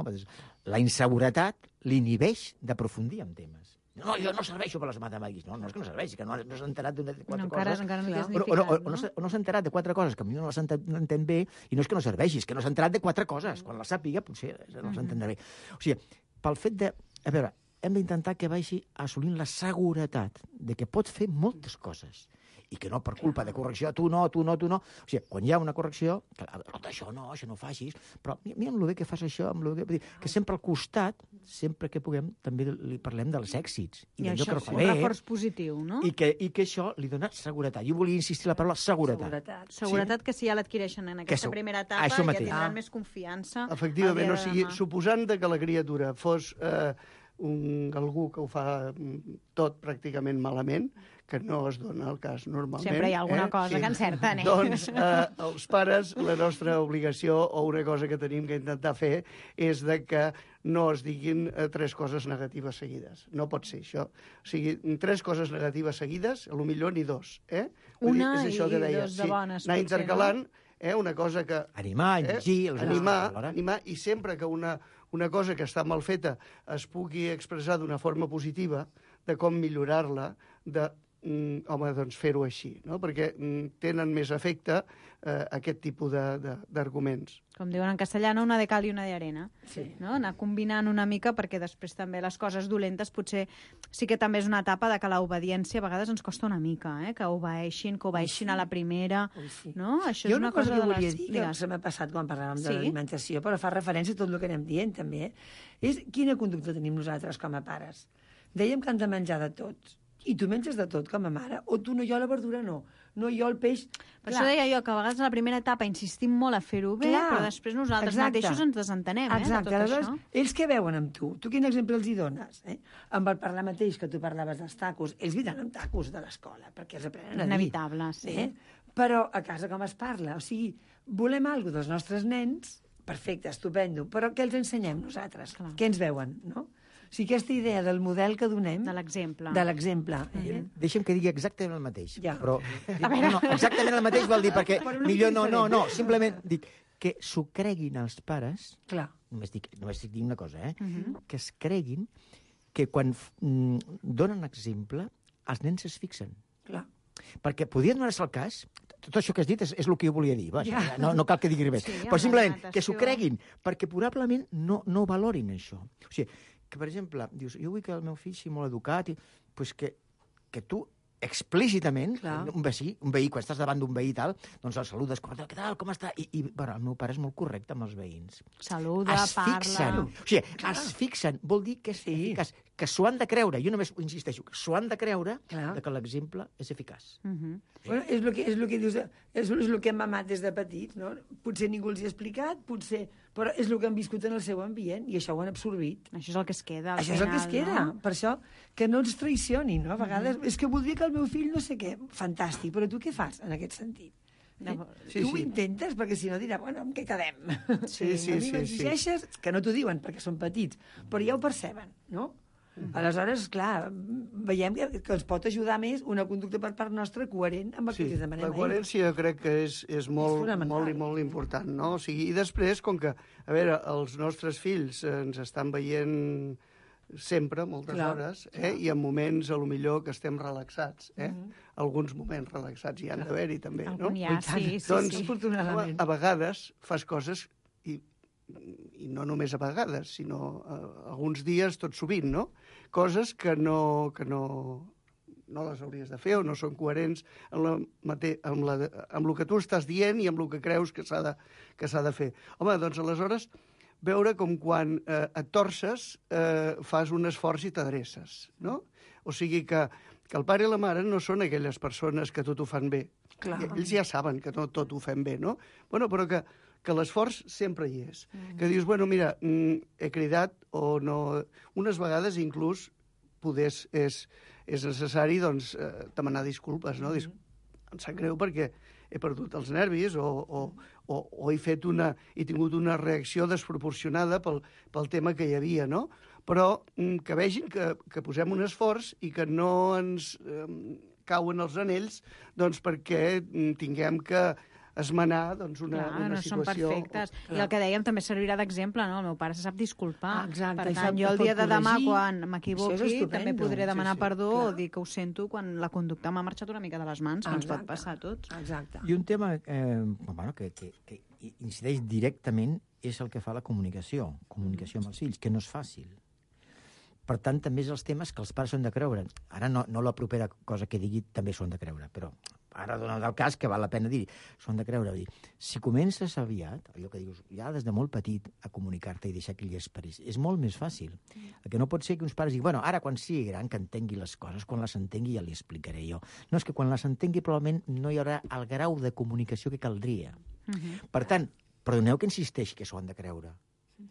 La inseguretat l'inhibeix d'aprofundir en temes. No, jo no serveixo per les matemàtiques. No, és que no serveixi, que no s'ha enterat de 4 coses. Encara no té significat, no s'ha enterat de 4 coses, que potser no les entén bé, i no és que no serveixi, és que no s'ha enterat de 4 coses. Quan les sàpiga, potser no les entendrà bé. O sigui, pel fet de... A veure, hem d'intentar que vagi assolint la seguretat de que pot fer moltes coses i que no per culpa de correcció, tu no. O sigui, quan hi ha una correcció, això no facis, però mira amb el bé que fas això, que sempre al costat, sempre que puguem, també li parlem dels èxits. I això és un reforç positiu, no? I que això li dona seguretat. Jo volia insistir la paraula seguretat. Seguretat que si ja l'adquireixen en aquesta primera etapa ja tindran més confiança. Efectivament, o sigui, suposant que la criatura fos algú que ho fa tot pràcticament malament, que no es dona el cas normalment. Sempre hi ha alguna cosa que encerten, Doncs els pares, la nostra obligació o una cosa que tenim que intentar fer és de que no es diguin 3 coses negatives seguides. No pot ser això. O sigui, 3 coses negatives seguides, potser ni 2. Una i 2 de bones. Anar intercalant, una cosa que... Animar, animar, i sempre que una cosa que està mal feta es pugui expressar d'una forma positiva, de com millorar-la, doncs fer-ho així, no? Perquè tenen més efecte aquest tipus d'arguments. Com diuen en castellà, una de cal i una de arena. No? Anar combinant una mica perquè després també les coses dolentes potser sí que també és una etapa de que l'obediència a vegades ens costa una mica, que obeeixin a la primera. No? Això és una cosa que volia dir, que se m'ha passat quan parlàvem de l'alimentació, però fa referència a tot el que anem dient també, és quina conducta tenim nosaltres com a pares. Dèiem que han de menjar de tots. I tu menges de tot com a mare? O tu no, jo la verdura no jo el peix... Per això deia jo que a vegades a la primera etapa insistim molt a fer-ho bé, però després nosaltres mateixos ens desentenem de tot això. Ells què veuen amb tu? Tu quin exemple els hi dones? Amb el parlar mateix que tu parlaves dels tacos, ells vindran amb tacos de l'escola, perquè els aprenen a dir. Inevitable, sí. Però a casa com es parla? O sigui, volem alguna dels nostres nens, perfecte, estupendo, però què els ensenyem nosaltres? Què ens veuen, no? O sigui, aquesta idea del model que donem... De l'exemple. Deixa'm que digui exactament el mateix. Però exactament el mateix vol dir, perquè millor no. Simplement dic que s'ho creguin els pares... Només dic una cosa, que es creguin que quan donen exemple, els nens es fixen. Perquè podria donar-se el cas... Tot això que has dit és el que jo volia dir. No cal que digui res. Però simplement que s'ho creguin, perquè probablement no valorin això. O sigui, que, per exemple, dius, jo vull que el meu fill sigui molt educat, doncs que tu explícitament, un veí, quan estàs davant d'un veí i tal, doncs el saludes, què tal, com està? I el meu pare és molt correcte amb els veïns. Saluda, parla... O sigui, es fixen, vol dir que és eficaç, que s'ho han de creure, jo només insisteixo, que s'ho han de creure que l'exemple és eficaç. Bueno, és el que dius, és el que hem mamat des de petits, no? Potser ningú els hi ha explicat, però és el que han viscut en el seu ambient i això ho han absorbit. Això és el que es queda. Això és el que es queda. Per això, que no ens traicionin, no? A vegades, és que voldria que el meu fill no sé què, fantàstic, però tu què fas en aquest sentit? Tu ho intentes, perquè si no dirà, bueno, amb què quedem? Sí. A mi m'exigeixes, que no t'ho diuen, perquè són petits, però ja ho perceben, no? Aleshores, clar, veiem que ens pot ajudar més una conducta per part nostra coherent amb el que els demanem. La coherència jo crec que és molt important, no? O sigui, i després, com que, a veure, els nostres fills ens estan veient sempre, moltes hores, i en moments, a lo millor, que estem relaxats, alguns moments relaxats hi han d'haver-hi, també, no? Doncs, a vegades, fas coses, i no només a vegades, sinó alguns dies, tot sovint, no? Coses que no les hauries de fer o no són coherents amb el que tu estàs dient i amb el que creus que s'ha de fer. Home, doncs aleshores veure com quan et torces fas un esforç i t'adreces, no? O sigui que el pare i la mare no són aquelles persones que tot ho fan bé. Ells ja saben que no tot ho fem bé, no? Bueno, però que l'esforç sempre hi és. Que dius, bueno, mira, he cridat o no... Unes vegades inclús és necessari, doncs, demanar disculpes, no? Em sap greu perquè he perdut els nervis o he tingut una reacció desproporcionada pel tema que hi havia, no? Però que vegin que posem un esforç i que no ens cauen els anells doncs perquè tinguem que esmenar una situació... no són perfectes. I el que dèiem també servirà d'exemple, no? El meu pare se sap disculpar. Exacte. Per tant, jo el dia de demà, quan m'equivoqui, també podré demanar perdó o dir que ho sento quan la conducta m'ha marxat una mica de les mans, que ens pot passar a tots. Exacte. I un tema que incideix directament és el que fa la comunicació amb els fills, que no és fàcil. Per tant, també és els temes que els pares són de creure. Ara no la propera cosa que digui també són de creure, però ara dona el cas que val la pena dir, són de creure. Si comences aviat, allò que dius, ja des de molt petit, a comunicar-te i deixar que ell esperis, és molt més fàcil. El que no pot ser que uns pares diguin, bueno, ara quan sigui gran que entengui les coses, quan les entengui ja li explicaré jo. No, és que quan les entengui probablement no hi haurà el grau de comunicació que caldria. Per tant, perdoneu que insisteixi que s'ho han de creure,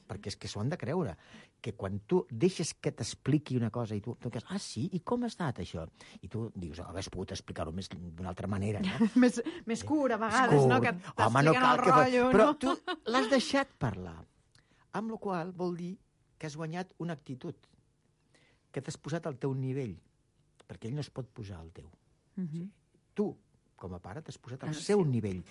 perquè és que s'ho han de creure, que quan tu deixes que t'expliqui una cosa i tu dius, sí? I com ha estat això? I tu dius, hagués pogut explicar-ho d'una altra manera, no? Més cura, a vegades, no? Que t'expliquen el rotllo, no? Però tu l'has deixat parlar, amb la qual vol dir que has guanyat una actitud, que t'has posat al teu nivell, perquè ell no es pot posar al teu. Tu, com a pare, t'has posat al seu nivell,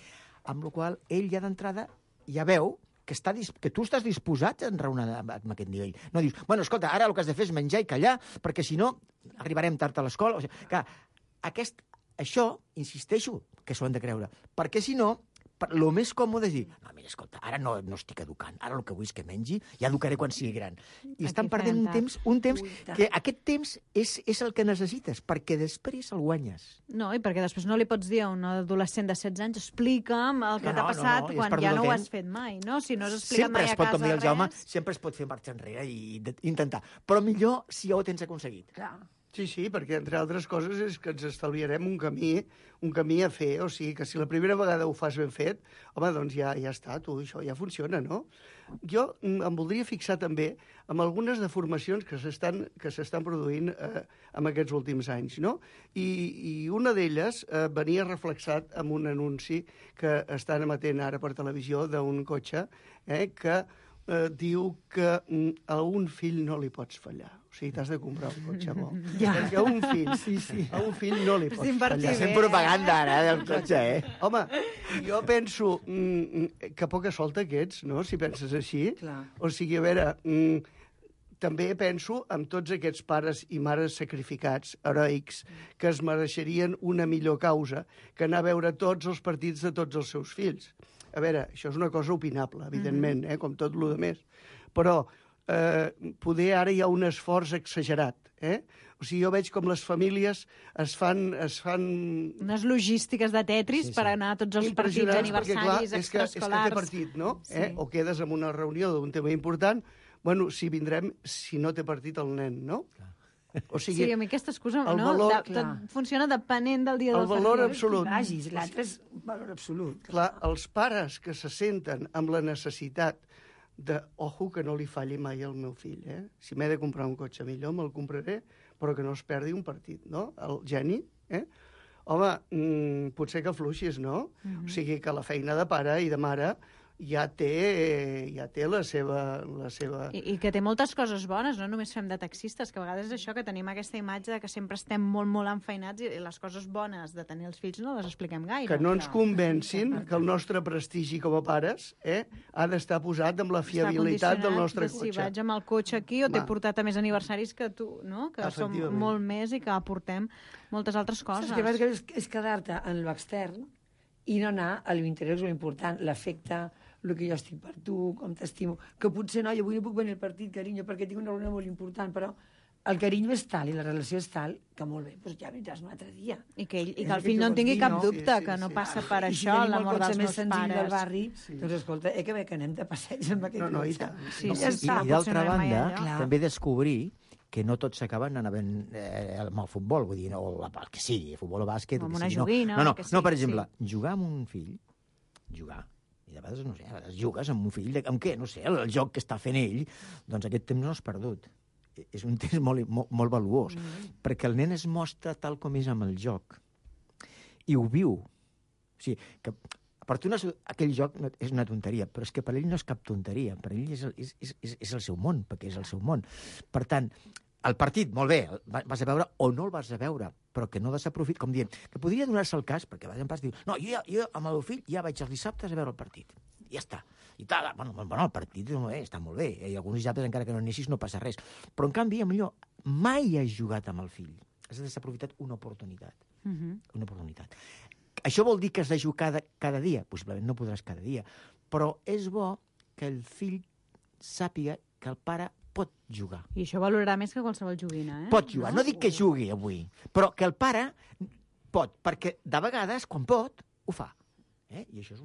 amb la qual ell ja d'entrada ja veu que tu estàs disposat a enraonar amb aquest nivell. No dius, bueno, escolta, ara el que has de fer és menjar i callar, perquè si no arribarem tard a l'escola. O sigui, clar, això, insisteixo, que s'ho han de creure, perquè si no, el més còmode és dir, no, mira, escolta, ara no estic educant, ara el que vull és que mengi, ja educaré quan sigui gran. I estan perdent un temps que aquest temps és el que necessites, perquè després el guanyes. No, i perquè després no li pots dir a un adolescent de 16 anys, explica'm el que t'ha passat quan ja no ho has fet mai, no? Si no has explicat mai a casa res... Sempre es pot fer marxa enrere i intentar, però millor si ja ho tens aconseguit. Clar. Sí, perquè, entre altres coses, és que ens estalviarem un camí a fer. O sigui, que si la primera vegada ho fas ben fet, home, doncs ja està, això ja funciona, no? Jo em voldria fixar també en algunes deformacions que s'estan produint en aquests últims anys, no? I una d'elles venia reflexat en un anunci que estan emetent ara per televisió d'un cotxe que diu que a un fill no li pots fallar. O sigui, t'has de comprar un cotxe bo. Perquè a un fill no li pots fallar. Fem propaganda ara del cotxe, Home, jo penso que poca solta que ets, no?, si penses així. O sigui, a veure, també penso en tots aquests pares i mares sacrificats, heroics, que es mereixerien una millor causa que anar a veure tots els partits de tots els seus fills. A veure, això és una cosa opinable, evidentment, com tot el més. Però poder ara hi ha un esforç exagerat. O sigui, jo veig com les famílies es fan... Unes logístiques de Tetris per anar a tots els partits, aniversaris, extraescolars... És que té partit, no? O quedes en una reunió d'un tema important, bueno, si vindrem, si no té partit el nen, no? O sigui, sí, a mi aquesta excusa funciona depenent del dia del família. El valor absolut. L'altre és valor absolut. Clar, els pares que se senten amb la necessitat de, ojo, que no li falli mai al meu fill, Si m'he de comprar un cotxe millor, me'l compraré, però que no es perdi un partit, no? El geni, home, potser que fluixis, no? O sigui, que la feina de pare i de mare ja té la seva... I que té moltes coses bones, no només fem de taxistes, que a vegades és això, que tenim aquesta imatge de que sempre estem molt, molt enfeinats i les coses bones de tenir els fills no les expliquem gaire. Que no ens convencin que el nostre prestigi com a pares ha d'estar posat amb la fiabilitat del nostre cotxe. Si vaig amb el cotxe aquí o t'he portat a més aniversaris que tu, no? Que som molt més i que aportem moltes altres coses. Saps què és quedar-te en l'extern i no anar a l'interior, és molt important, l'afecte, el que jo estic per tu, com t'estimo, que potser no, jo avui no puc venir al partit, carinyo, perquè tinc una reunió molt important, però el carinyo és tal i la relació és tal que molt bé, doncs ja vindràs un altre dia. I que el fill no en tingui cap dubte, que no passa per això, l'amor dels meus pares. Del barri, doncs escolta, que bé que anem de passeig amb aquest cotxe. I d'altra banda, també descobrir que no tot s'acaba anant amb el futbol, vull dir, o el que sigui, futbol o bàsquet... Com una joguina... No, per exemple, jugar amb un fill, i de vegades, no sé, a vegades jugues amb un fill, amb què? No sé, el joc que està fent ell, doncs aquest temps no és perdut. És un temps molt valuós, perquè el nen es mostra tal com és amb el joc, i ho viu. O sigui, que per tu aquell joc és una tonteria, però és que per ell no és cap tonteria, per ell és el seu món, perquè és el seu món. Per tant, el partit, molt bé, vas a veure o no el vas a veure, però que no desaprofit, com dient, que podria donar-se el cas, perquè vas en pas dir, no, jo amb el meu fill ja vaig els dissabtes a veure el partit. I ja està. I tal, bueno, el partit està molt bé, i alguns dissabtes, encara que no anessis, no passa res. Però, en canvi, millor, mai has jugat amb el fill. Has desaprofitat una oportunitat. Una oportunitat. Això vol dir que has de jugar cada dia? Possiblement no podràs cada dia. Però és bo que el fill sàpiga que el pare pot jugar. I això valorarà més que qualsevol joguina, Pot jugar. No dic que jugui avui, però que el pare pot, perquè de vegades, quan pot, ho fa. I això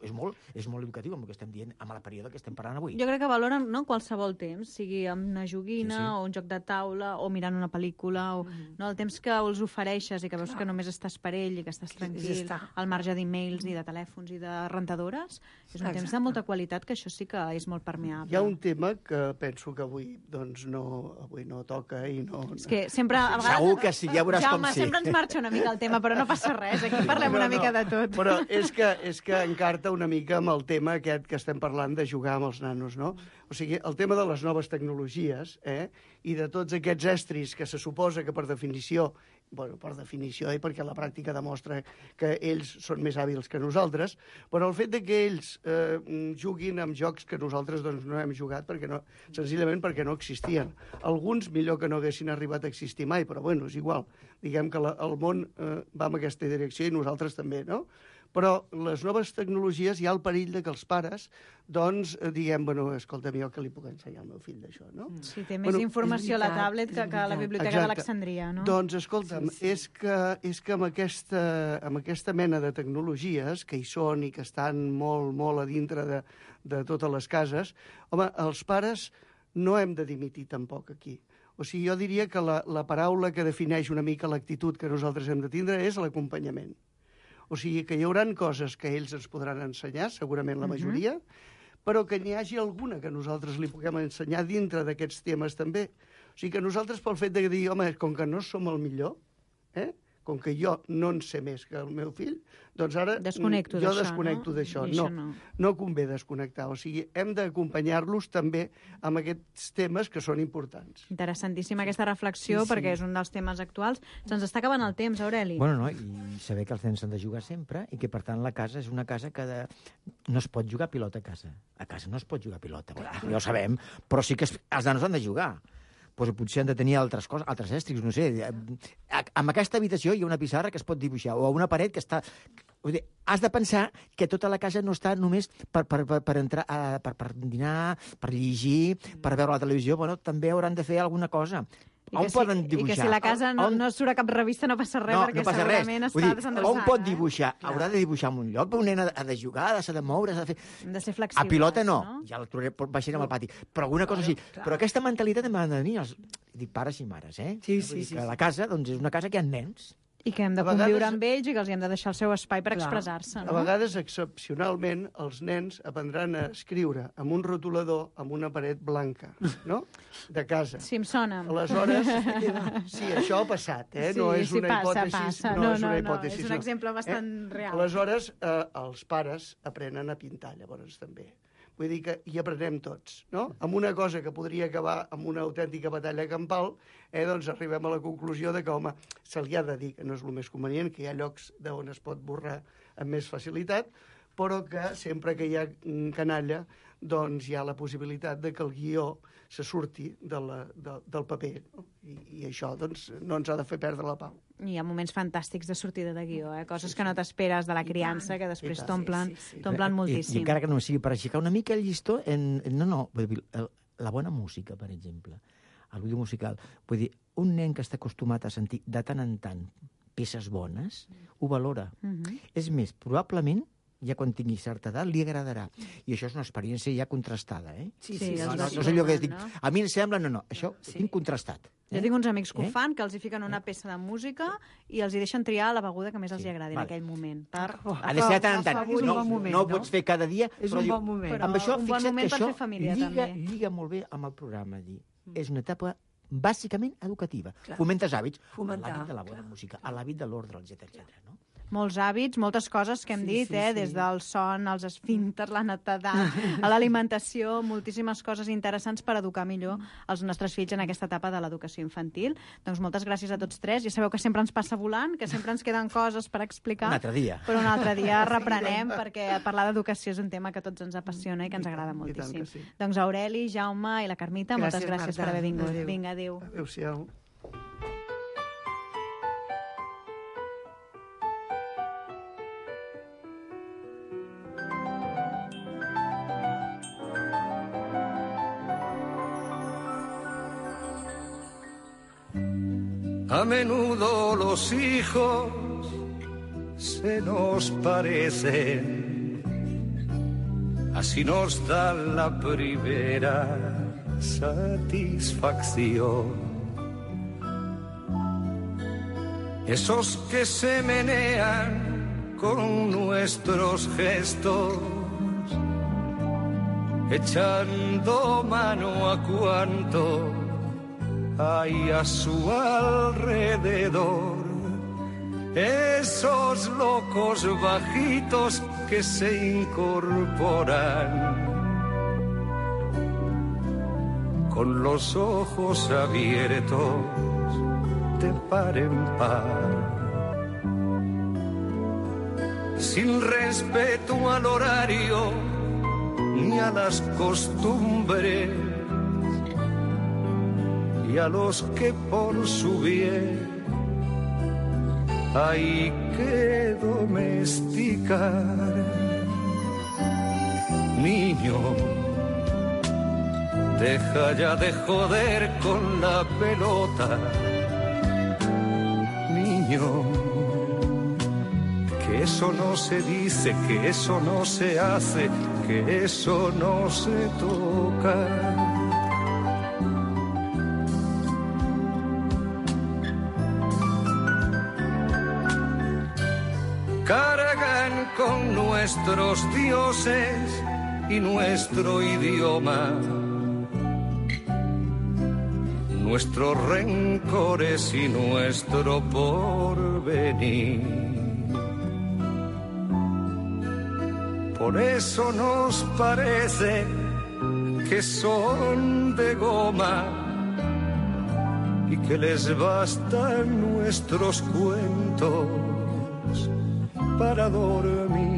és molt educatiu amb el que estem dient, amb el període que estem parlant avui. Jo crec que valoren qualsevol temps, sigui amb una joguina o un joc de taula o mirant una pel·lícula, o el temps que els ofereixes i que veus que només estàs per ell i que estàs tranquil, al marge d'emails i de telèfons i de rentadores, és un temps de molta qualitat, que això sí que és molt permeable. Hi ha un tema que penso que avui no toca i no... És que sempre... Segur que sí, ja veuràs com sí. Jaume, sempre ens marxa una mica el tema, però no passa res, aquí parlem una mica de tot. Però és que encarta una mica amb el tema aquest que estem parlant de jugar amb els nanos, no? O sigui, el tema de les noves tecnologies i de tots aquests estris que se suposa que per definició, perquè la pràctica demostra que ells són més hàbils que nosaltres, però el fet de que ells juguin amb jocs que nosaltres doncs, no hem jugat senzillament perquè no existien. Alguns millor que no haguessin arribat a existir mai, però bueno, és igual. Diguem que el món va en aquesta direcció i nosaltres també, no? Però les noves tecnologies hi ha el perill de que els pares, doncs, diguem, escolta, jo que li puc ensenyar al meu fill d'això, no? Sí, té més informació a la tablet que a la biblioteca d'Alexandria, no? Doncs, escolta'm, és que amb aquesta mena de tecnologies que hi són i que estan molt, molt a dintre de totes les cases, home, els pares no hem de dimitir tampoc aquí. O sigui, jo diria que la paraula que defineix una mica l'actitud que nosaltres hem de tindre és l'acompanyament. O sigui, que hi haurà coses que ells ens podran ensenyar, segurament la majoria, però que n'hi hagi alguna que nosaltres li puguem ensenyar dintre d'aquests temes també. O sigui, que nosaltres pel fet de dir, home, com que no som el millor, com que jo no en sé més que el meu fill, doncs ara jo desconnecto d'això. No convé desconnectar. O sigui, hem d'acompanyar-los també amb aquests temes que són importants. Interessantíssima aquesta reflexió, perquè és un dels temes actuals. Se'ns està acabant el temps, Aureli. Bueno, i saber que els nens s'han de jugar sempre i que, per tant, la casa és una casa que no es pot jugar a pilota a casa. A casa no es pot jugar a pilota, ja ho sabem, però sí que els nanos han de jugar. Doncs potser han de tenir altres coses, altres estris, no sé. En aquesta habitació hi ha una pissarra que es pot dibuixar, o una paret que està... Has de pensar que tota la casa no està només per entrar, per dinar, per llegir, per veure la televisió. Bueno, també hauran de fer alguna cosa. On poden dibuixar? I que si la casa no surt a cap revista no passa res, perquè segurament està desendreçada. On pot dibuixar? Haurà de dibuixar en un lloc, un nen ha de jugar, s'ha de moure, s'ha de fer... Hem de ser flexibles. A pilota no, ja el trobaré baixant al pati, però alguna cosa així. Però aquesta mentalitat també ha de tenir els... Dic pares i mares, Sí. Que la casa, doncs, és una casa que hi ha nens. I que hem de conviure amb ells i que els hi hem de deixar el seu espai per expressar-se, no? A vegades, excepcionalment, els nens aprendran a escriure amb un rotulador amb una paret blanca, no?, de casa. Sí, em sona. Aleshores, sí, això ha passat, no és una hipòtesi. Passa. No, és una hipòtesi. És un exemple bastant real. Aleshores, els pares aprenen a pintar, llavors, també. Vull dir que hi aprenem tots, no? Amb una cosa que podria acabar amb una autèntica batalla campal, doncs arribem a la conclusió de que, home, se li ha de dir que no és el més convenient, que hi ha llocs d'on es pot borrar amb més facilitat, però que sempre que hi ha canalla, doncs hi ha la possibilitat de que el guió se surti del paper. No? I això, doncs, no ens ha de fer perdre la pau. Hi ha moments fantàstics de sortida de guió, coses que no t'esperes de la criança, que després t'omplen moltíssim. I encara que no sigui per aixecar una mica el llistó, la bona música, per exemple, el vídeo musical. Vull dir, un nen que està acostumat a sentir de tant en tant peces bones, ho valora. És més, probablement, ja quan tingui certa edat, li agradarà. I això és una experiència ja contrastada, Sí. No és allò que dic, a mi em sembla, no, això ho tinc contrastat. Jo tinc uns amics que ho fan, que els hi fiquen una peça de música i els hi deixen triar la beguda que més els hi agradi en aquell moment. Ha de ser de tant en tant. No ho pots fer cada dia, és un bon moment. Amb això, fixa't que això lliga molt bé amb el programa. És una etapa bàsicament educativa. Fomentes hàbits, l'hàbit de la bona música, l'hàbit de l'ordre, etc. Molts hàbits, moltes coses que hem dit, des del son, als esfínter, la netedat, a l'alimentació, moltíssimes coses interessants per educar millor els nostres fills en aquesta etapa de l'educació infantil. Doncs moltes gràcies a tots tres. Ja sabeu que sempre ens passa volant, que sempre ens queden coses per explicar. Un altre dia. Però un altre dia reprenem, perquè parlar d'educació és un tema que a tots ens apassiona i que ens agrada moltíssim. Doncs Aureli, Jaume i la Carmita, moltes gràcies per haver vingut. Vinga, adéu. Adéu-siau. A menudo los hijos se nos parecen, así nos da la primera satisfacción. Esos que se menean con nuestros gestos, echando mano a cuanto hay a su alrededor. Esos locos bajitos que se incorporan con los ojos abiertos de par en par, sin respeto al horario ni a las costumbres, y a los que por su bien hay que domesticar. Niño, deja ya de joder con la pelota. Niño, que eso no se dice, que eso no se hace, que eso no se toca. Cargan con nuestros dioses y nuestro idioma, nuestros rencores y nuestro porvenir. Por eso nos parece que son de goma y que les bastan nuestros cuentos para dormir.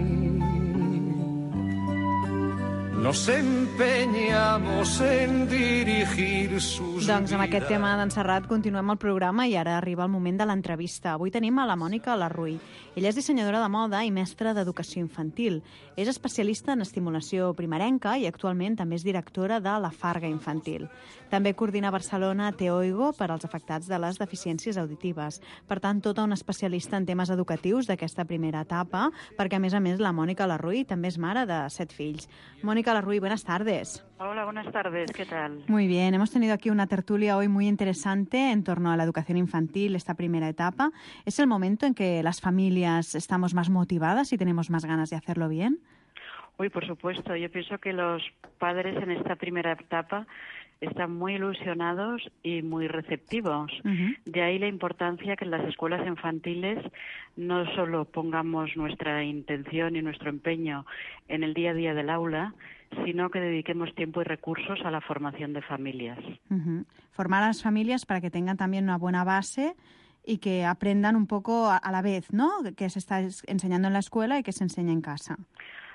Nos empeñamos en dirigir sus Doncs amb aquest tema d'en Serrat continuem el programa i ara arriba el moment de l'entrevista. Avui tenim a la Mònica Larruy. Ella és dissenyadora de moda i mestra d'educació infantil. És especialista en estimulació primerenca i actualment també és directora de La Farga Infantil. També coordina a Barcelona Teoigo per als afectats de les deficiències auditives. Per tant, tota una especialista en temes educatius d'aquesta primera etapa, perquè a més la Mònica Larruy també és mare de 7 fills. Mònica Mónica Larruy, buenas tardes. Hola, buenas tardes, ¿qué tal? Muy bien, hemos tenido aquí una tertulia hoy muy interesante en torno a la educación infantil, esta primera etapa. ¿Es el momento en que las familias estamos más motivadas y tenemos más ganas de hacerlo bien? Uy, por supuesto, yo pienso que los padres en esta primera etapa están muy ilusionados y muy receptivos. De ahí la importancia que en las escuelas infantiles no solo pongamos nuestra intención y nuestro empeño en el día a día del aula, sino que dediquemos tiempo y recursos a la formación de familias. Formar a las familias para que tengan también una buena base y que aprendan un poco a la vez, ¿no? Que se está enseñando en la escuela y que se enseña en casa.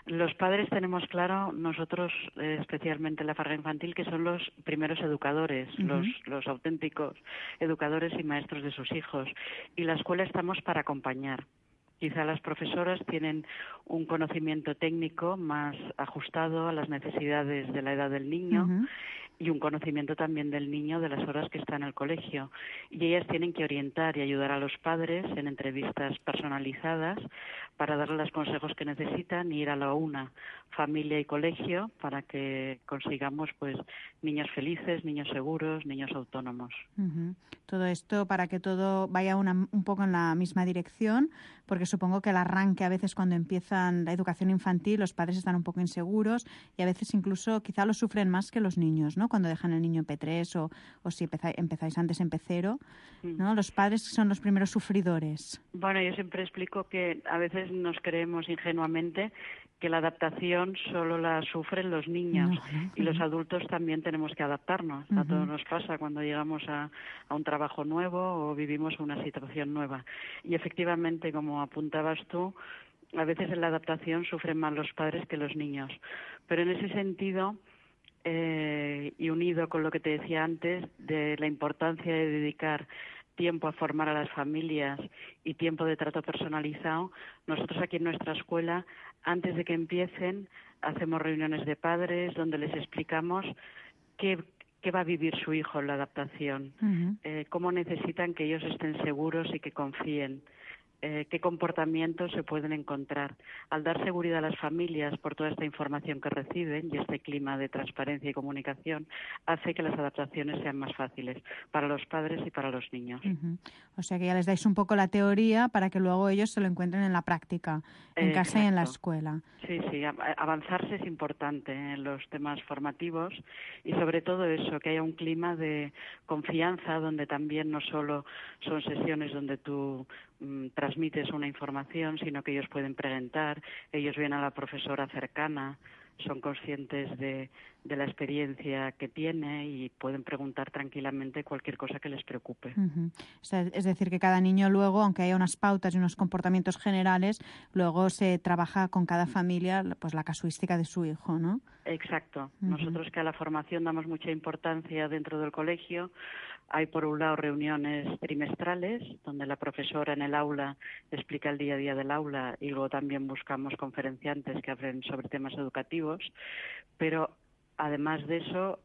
Los padres tenemos claro, nosotros especialmente en la farra infantil, que son los primeros educadores, los auténticos educadores y maestros de sus hijos. Y la escuela estamos para acompañar. Quizá las profesoras tienen un conocimiento técnico más ajustado a las necesidades de la edad del niño y un conocimiento también del niño de las horas que está en el colegio. Y ellas tienen que orientar y ayudar a los padres en entrevistas personalizadas para darles los consejos que necesitan y ir a la una, familia y colegio, para que consigamos pues niños felices, niños seguros, niños autónomos. Todo esto para que todo vaya un poco en la misma dirección, porque supongo que el arranque a veces cuando empiezan la educación infantil los padres están un poco inseguros y a veces incluso quizá lo sufren más que los niños, ¿no? Cuando dejan el niño en P3 o si empezáis antes en P0, ¿no? Los padres son los primeros sufridores. Bueno, yo siempre explico que a veces nos creemos ingenuamente que la adaptación solo la sufren los niños y los adultos también tenemos que adaptarnos. A todos nos pasa cuando llegamos a un trabajo nuevo o vivimos una situación nueva. Y efectivamente, como apuntabas tú, a veces en la adaptación sufren más los padres que los niños. Pero en ese sentido, y unido con lo que te decía antes, de la importancia de dedicar tiempo a formar a las familias y tiempo de trato personalizado, nosotros aquí en nuestra escuela, antes de que empiecen, hacemos reuniones de padres donde les explicamos qué va a vivir su hijo en la adaptación, cómo necesitan que ellos estén seguros y que confíen, qué comportamientos se pueden encontrar. Al dar seguridad a las familias por toda esta información que reciben y este clima de transparencia y comunicación, hace que las adaptaciones sean más fáciles para los padres y para los niños. O sea que ya les dais un poco la teoría para que luego ellos se lo encuentren en la práctica, en casa y en la escuela. Sí, avanzarse es importante en los temas formativos y sobre todo eso, que haya un clima de confianza donde también no solo son sesiones donde tú transmites una información, sino que ellos pueden preguntar, ellos ven a la profesora cercana, son conscientes de la experiencia que tiene y pueden preguntar tranquilamente cualquier cosa que les preocupe. O sea, es decir, que cada niño luego, aunque haya unas pautas y unos comportamientos generales, luego se trabaja con cada familia pues la casuística de su hijo, ¿no? Exacto. Nosotros que a la formación damos mucha importancia dentro del colegio. Hay, por un lado, reuniones trimestrales, donde la profesora en el aula explica el día a día del aula y luego también buscamos conferenciantes que hablen sobre temas educativos, pero además de eso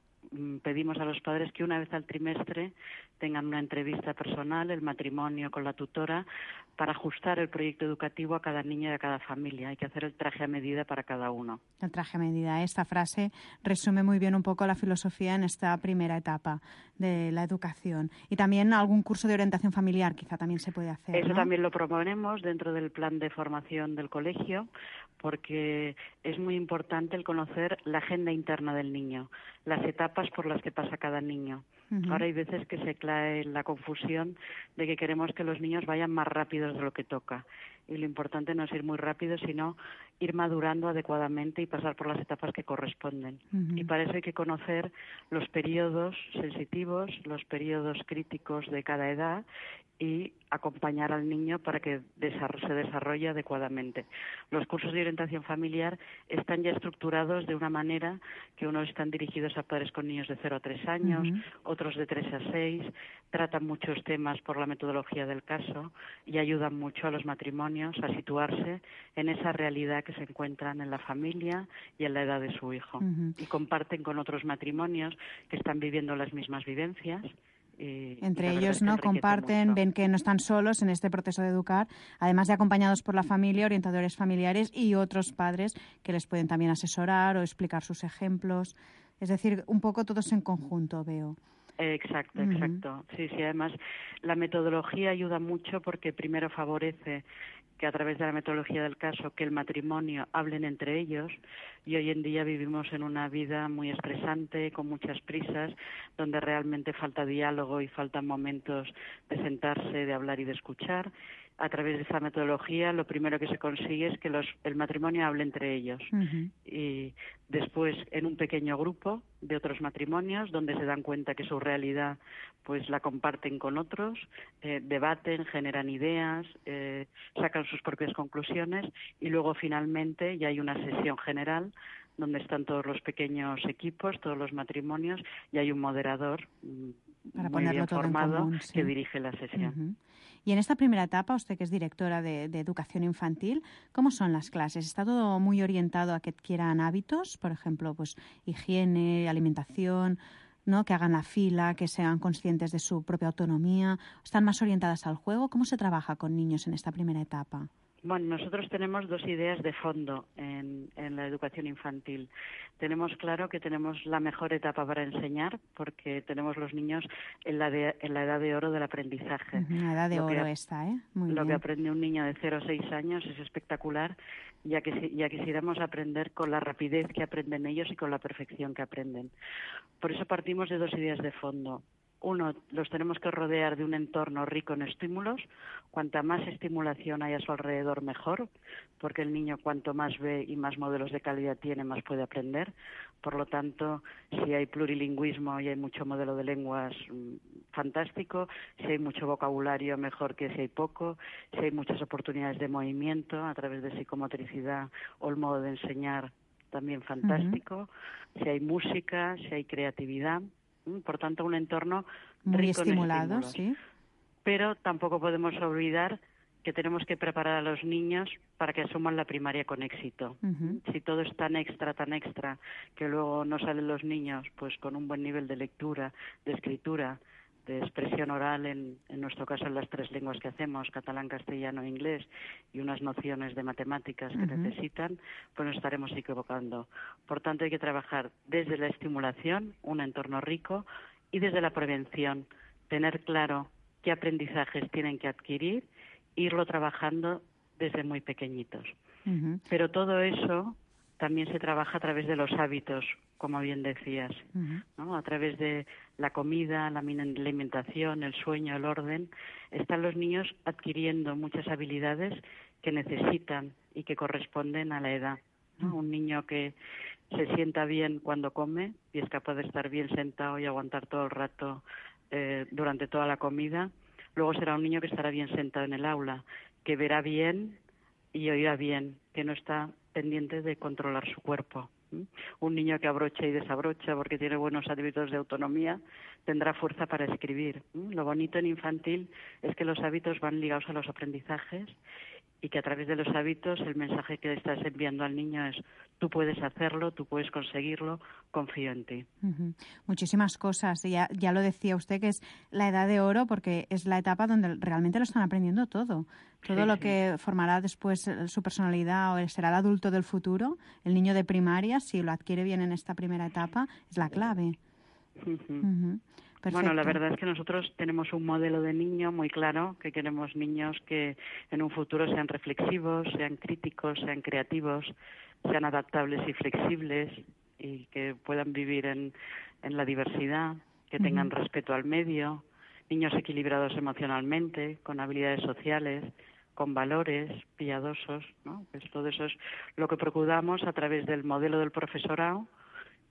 pedimos a los padres que una vez al trimestre tengan una entrevista personal, el matrimonio con la tutora, para ajustar el proyecto educativo a cada niño y a cada familia. Hay que hacer el traje a medida para cada uno. El traje a medida. Esta frase resume muy bien un poco la filosofía en esta primera etapa de la educación. Y también algún curso de orientación familiar quizá también se puede hacer, Eso ¿no? también lo proponemos dentro del plan de formación del colegio, porque es muy importante el conocer la agenda interna del niño, las etapas por las que pasa cada niño. Ahora hay veces que se cae la confusión de que queremos que los niños vayan más rápidos de lo que toca. Y lo importante no es ir muy rápido, sino ir madurando adecuadamente y pasar por las etapas que corresponden. Y para eso hay que conocer los periodos sensitivos, los periodos críticos de cada edad y acompañar al niño para que se desarrolle adecuadamente. Los cursos de orientación familiar están ya estructurados de una manera que unos están dirigidos a padres con niños de 0 a 3 años, otros de 3 a 6, tratan muchos temas por la metodología del caso y ayudan mucho a los matrimonios a situarse en esa realidad que se encuentran en la familia y en la edad de su hijo. Y comparten con otros matrimonios que están viviendo las mismas vivencias Entre ellos, ¿no? Comparten, ven que no están solos en este proceso de educar, además de acompañados por la familia, orientadores familiares y otros padres que les pueden también asesorar o explicar sus ejemplos. Es decir, un poco todos en conjunto, veo. Exacto. Sí, además la metodología ayuda mucho porque primero favorece que a través de la metodología del caso, que el matrimonio hablen entre ellos, y hoy en día vivimos en una vida muy estresante, con muchas prisas, donde realmente falta diálogo y faltan momentos de sentarse, de hablar y de escuchar. A través de esa metodología lo primero que se consigue es que el matrimonio hable entre ellos. Y después en un pequeño grupo de otros matrimonios donde se dan cuenta que su realidad pues la comparten con otros, debaten, generan ideas, sacan sus propias conclusiones y luego finalmente ya hay una sesión general donde están todos los pequeños equipos, todos los matrimonios y hay un moderador para muy bien todo formado en común, sí, que dirige la sesión. Y en esta primera etapa, usted que es directora de educación infantil, ¿cómo son las clases? ¿Está todo muy orientado a que adquieran hábitos? Por ejemplo, pues higiene, alimentación, ¿no? Que hagan la fila, que sean conscientes de su propia autonomía. ¿Están más orientadas al juego? ¿Cómo se trabaja con niños en esta primera etapa? Bueno, nosotros tenemos dos ideas de fondo en la educación infantil. Tenemos claro que tenemos la mejor etapa para enseñar porque tenemos los niños en la edad de oro del aprendizaje. La edad de oro esta, ¿eh? Muy lo bien. que aprende un niño de 0 a 6 años es espectacular, ya quisiéramos aprender con la rapidez que aprenden ellos y con la perfección que aprenden. Por eso partimos de dos ideas de fondo. Uno, los tenemos que rodear de un entorno rico en estímulos. Cuanta más estimulación hay a su alrededor, mejor, porque el niño cuanto más ve y más modelos de calidad tiene, más puede aprender. Por lo tanto, si hay plurilingüismo y hay mucho modelo de lenguas, fantástico. Si hay mucho vocabulario, mejor que si hay poco. Si hay muchas oportunidades de movimiento a través de psicomotricidad o el modo de enseñar, también fantástico. Si hay música, si hay creatividad. Por tanto, un entorno muy rico estimulado, en estímulos. sí. Pero tampoco podemos olvidar que tenemos que preparar a los niños para que asuman la primaria con éxito. Si todo es tan extra, que luego no salen los niños pues con un buen nivel de lectura, de escritura, de expresión oral, en nuestro caso en las 3 lenguas que hacemos, catalán, castellano e inglés, y unas nociones de matemáticas que necesitan, pues nos estaremos equivocando. Por tanto, hay que trabajar desde la estimulación, un entorno rico, y desde la prevención, tener claro qué aprendizajes tienen que adquirir, irlo trabajando desde muy pequeñitos. Pero todo eso también se trabaja a través de los hábitos, como bien decías, ¿no? A través de la comida, la alimentación, el sueño, el orden, están los niños adquiriendo muchas habilidades que necesitan y que corresponden a la edad, ¿no? Un niño que se sienta bien cuando come y es capaz de estar bien sentado y aguantar todo el rato durante toda la comida, luego será un niño que estará bien sentado en el aula, que verá bien y oirá bien, que no está pendiente de controlar su cuerpo. Un niño que abrocha y desabrocha porque tiene buenos hábitos de autonomía tendrá fuerza para escribir. Lo bonito en infantil es que los hábitos van ligados a los aprendizajes y que a través de los hábitos el mensaje que estás enviando al niño es: tú puedes hacerlo, tú puedes conseguirlo, confío en ti. Muchísimas cosas. Ya lo decía usted, que es la edad de oro porque es la etapa donde realmente lo están aprendiendo todo. Todo lo que formará después su personalidad o será el adulto del futuro, el niño de primaria, si lo adquiere bien en esta primera etapa, es la clave. Bueno, la verdad es que nosotros tenemos un modelo de niño muy claro, que queremos niños que en un futuro sean reflexivos, sean críticos, sean creativos, sean adaptables y flexibles y que puedan vivir en la diversidad, que tengan respeto al medio, niños equilibrados emocionalmente, con habilidades sociales, con valores piadosos, ¿no? Pues todo eso es lo que procuramos a través del modelo del profesorado,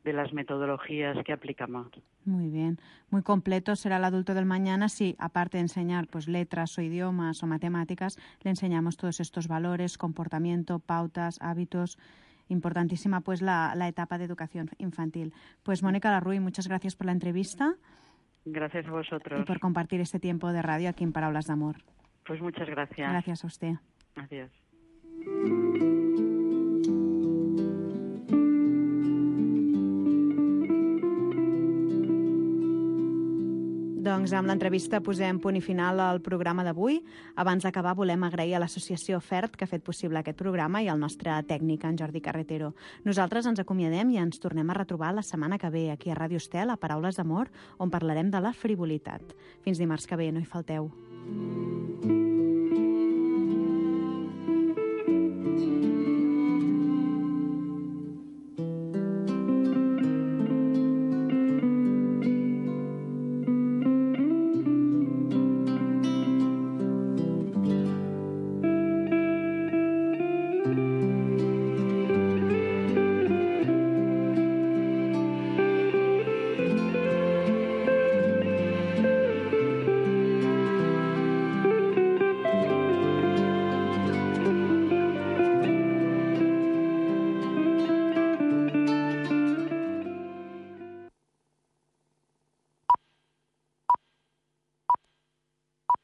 de las metodologías que aplicamos. Muy bien. Muy completo será el adulto del mañana si, aparte de enseñar pues letras o idiomas o matemáticas, le enseñamos todos estos valores, comportamiento, pautas, hábitos. Importantísima pues la etapa de educación infantil. Pues Mónica Larruy, muchas gracias por la entrevista. Gracias a vosotros. Y por compartir este tiempo de radio aquí en Paraules d'Amor. Pues muchas gracias. Gracias a usted. Adiós. Doncs amb l'entrevista posem punt i final al programa d'avui. Abans d'acabar volem agrair a l'associació FERT que ha fet possible aquest programa i al nostre tècnic, en Jordi Carretero. Nosaltres ens acomiadem i ens tornem a retrobar la setmana que ve aquí a Ràdio Estel, a Paraules d'Amor, on parlarem de la frivolitat. Fins dimarts que ve, no hi falteu.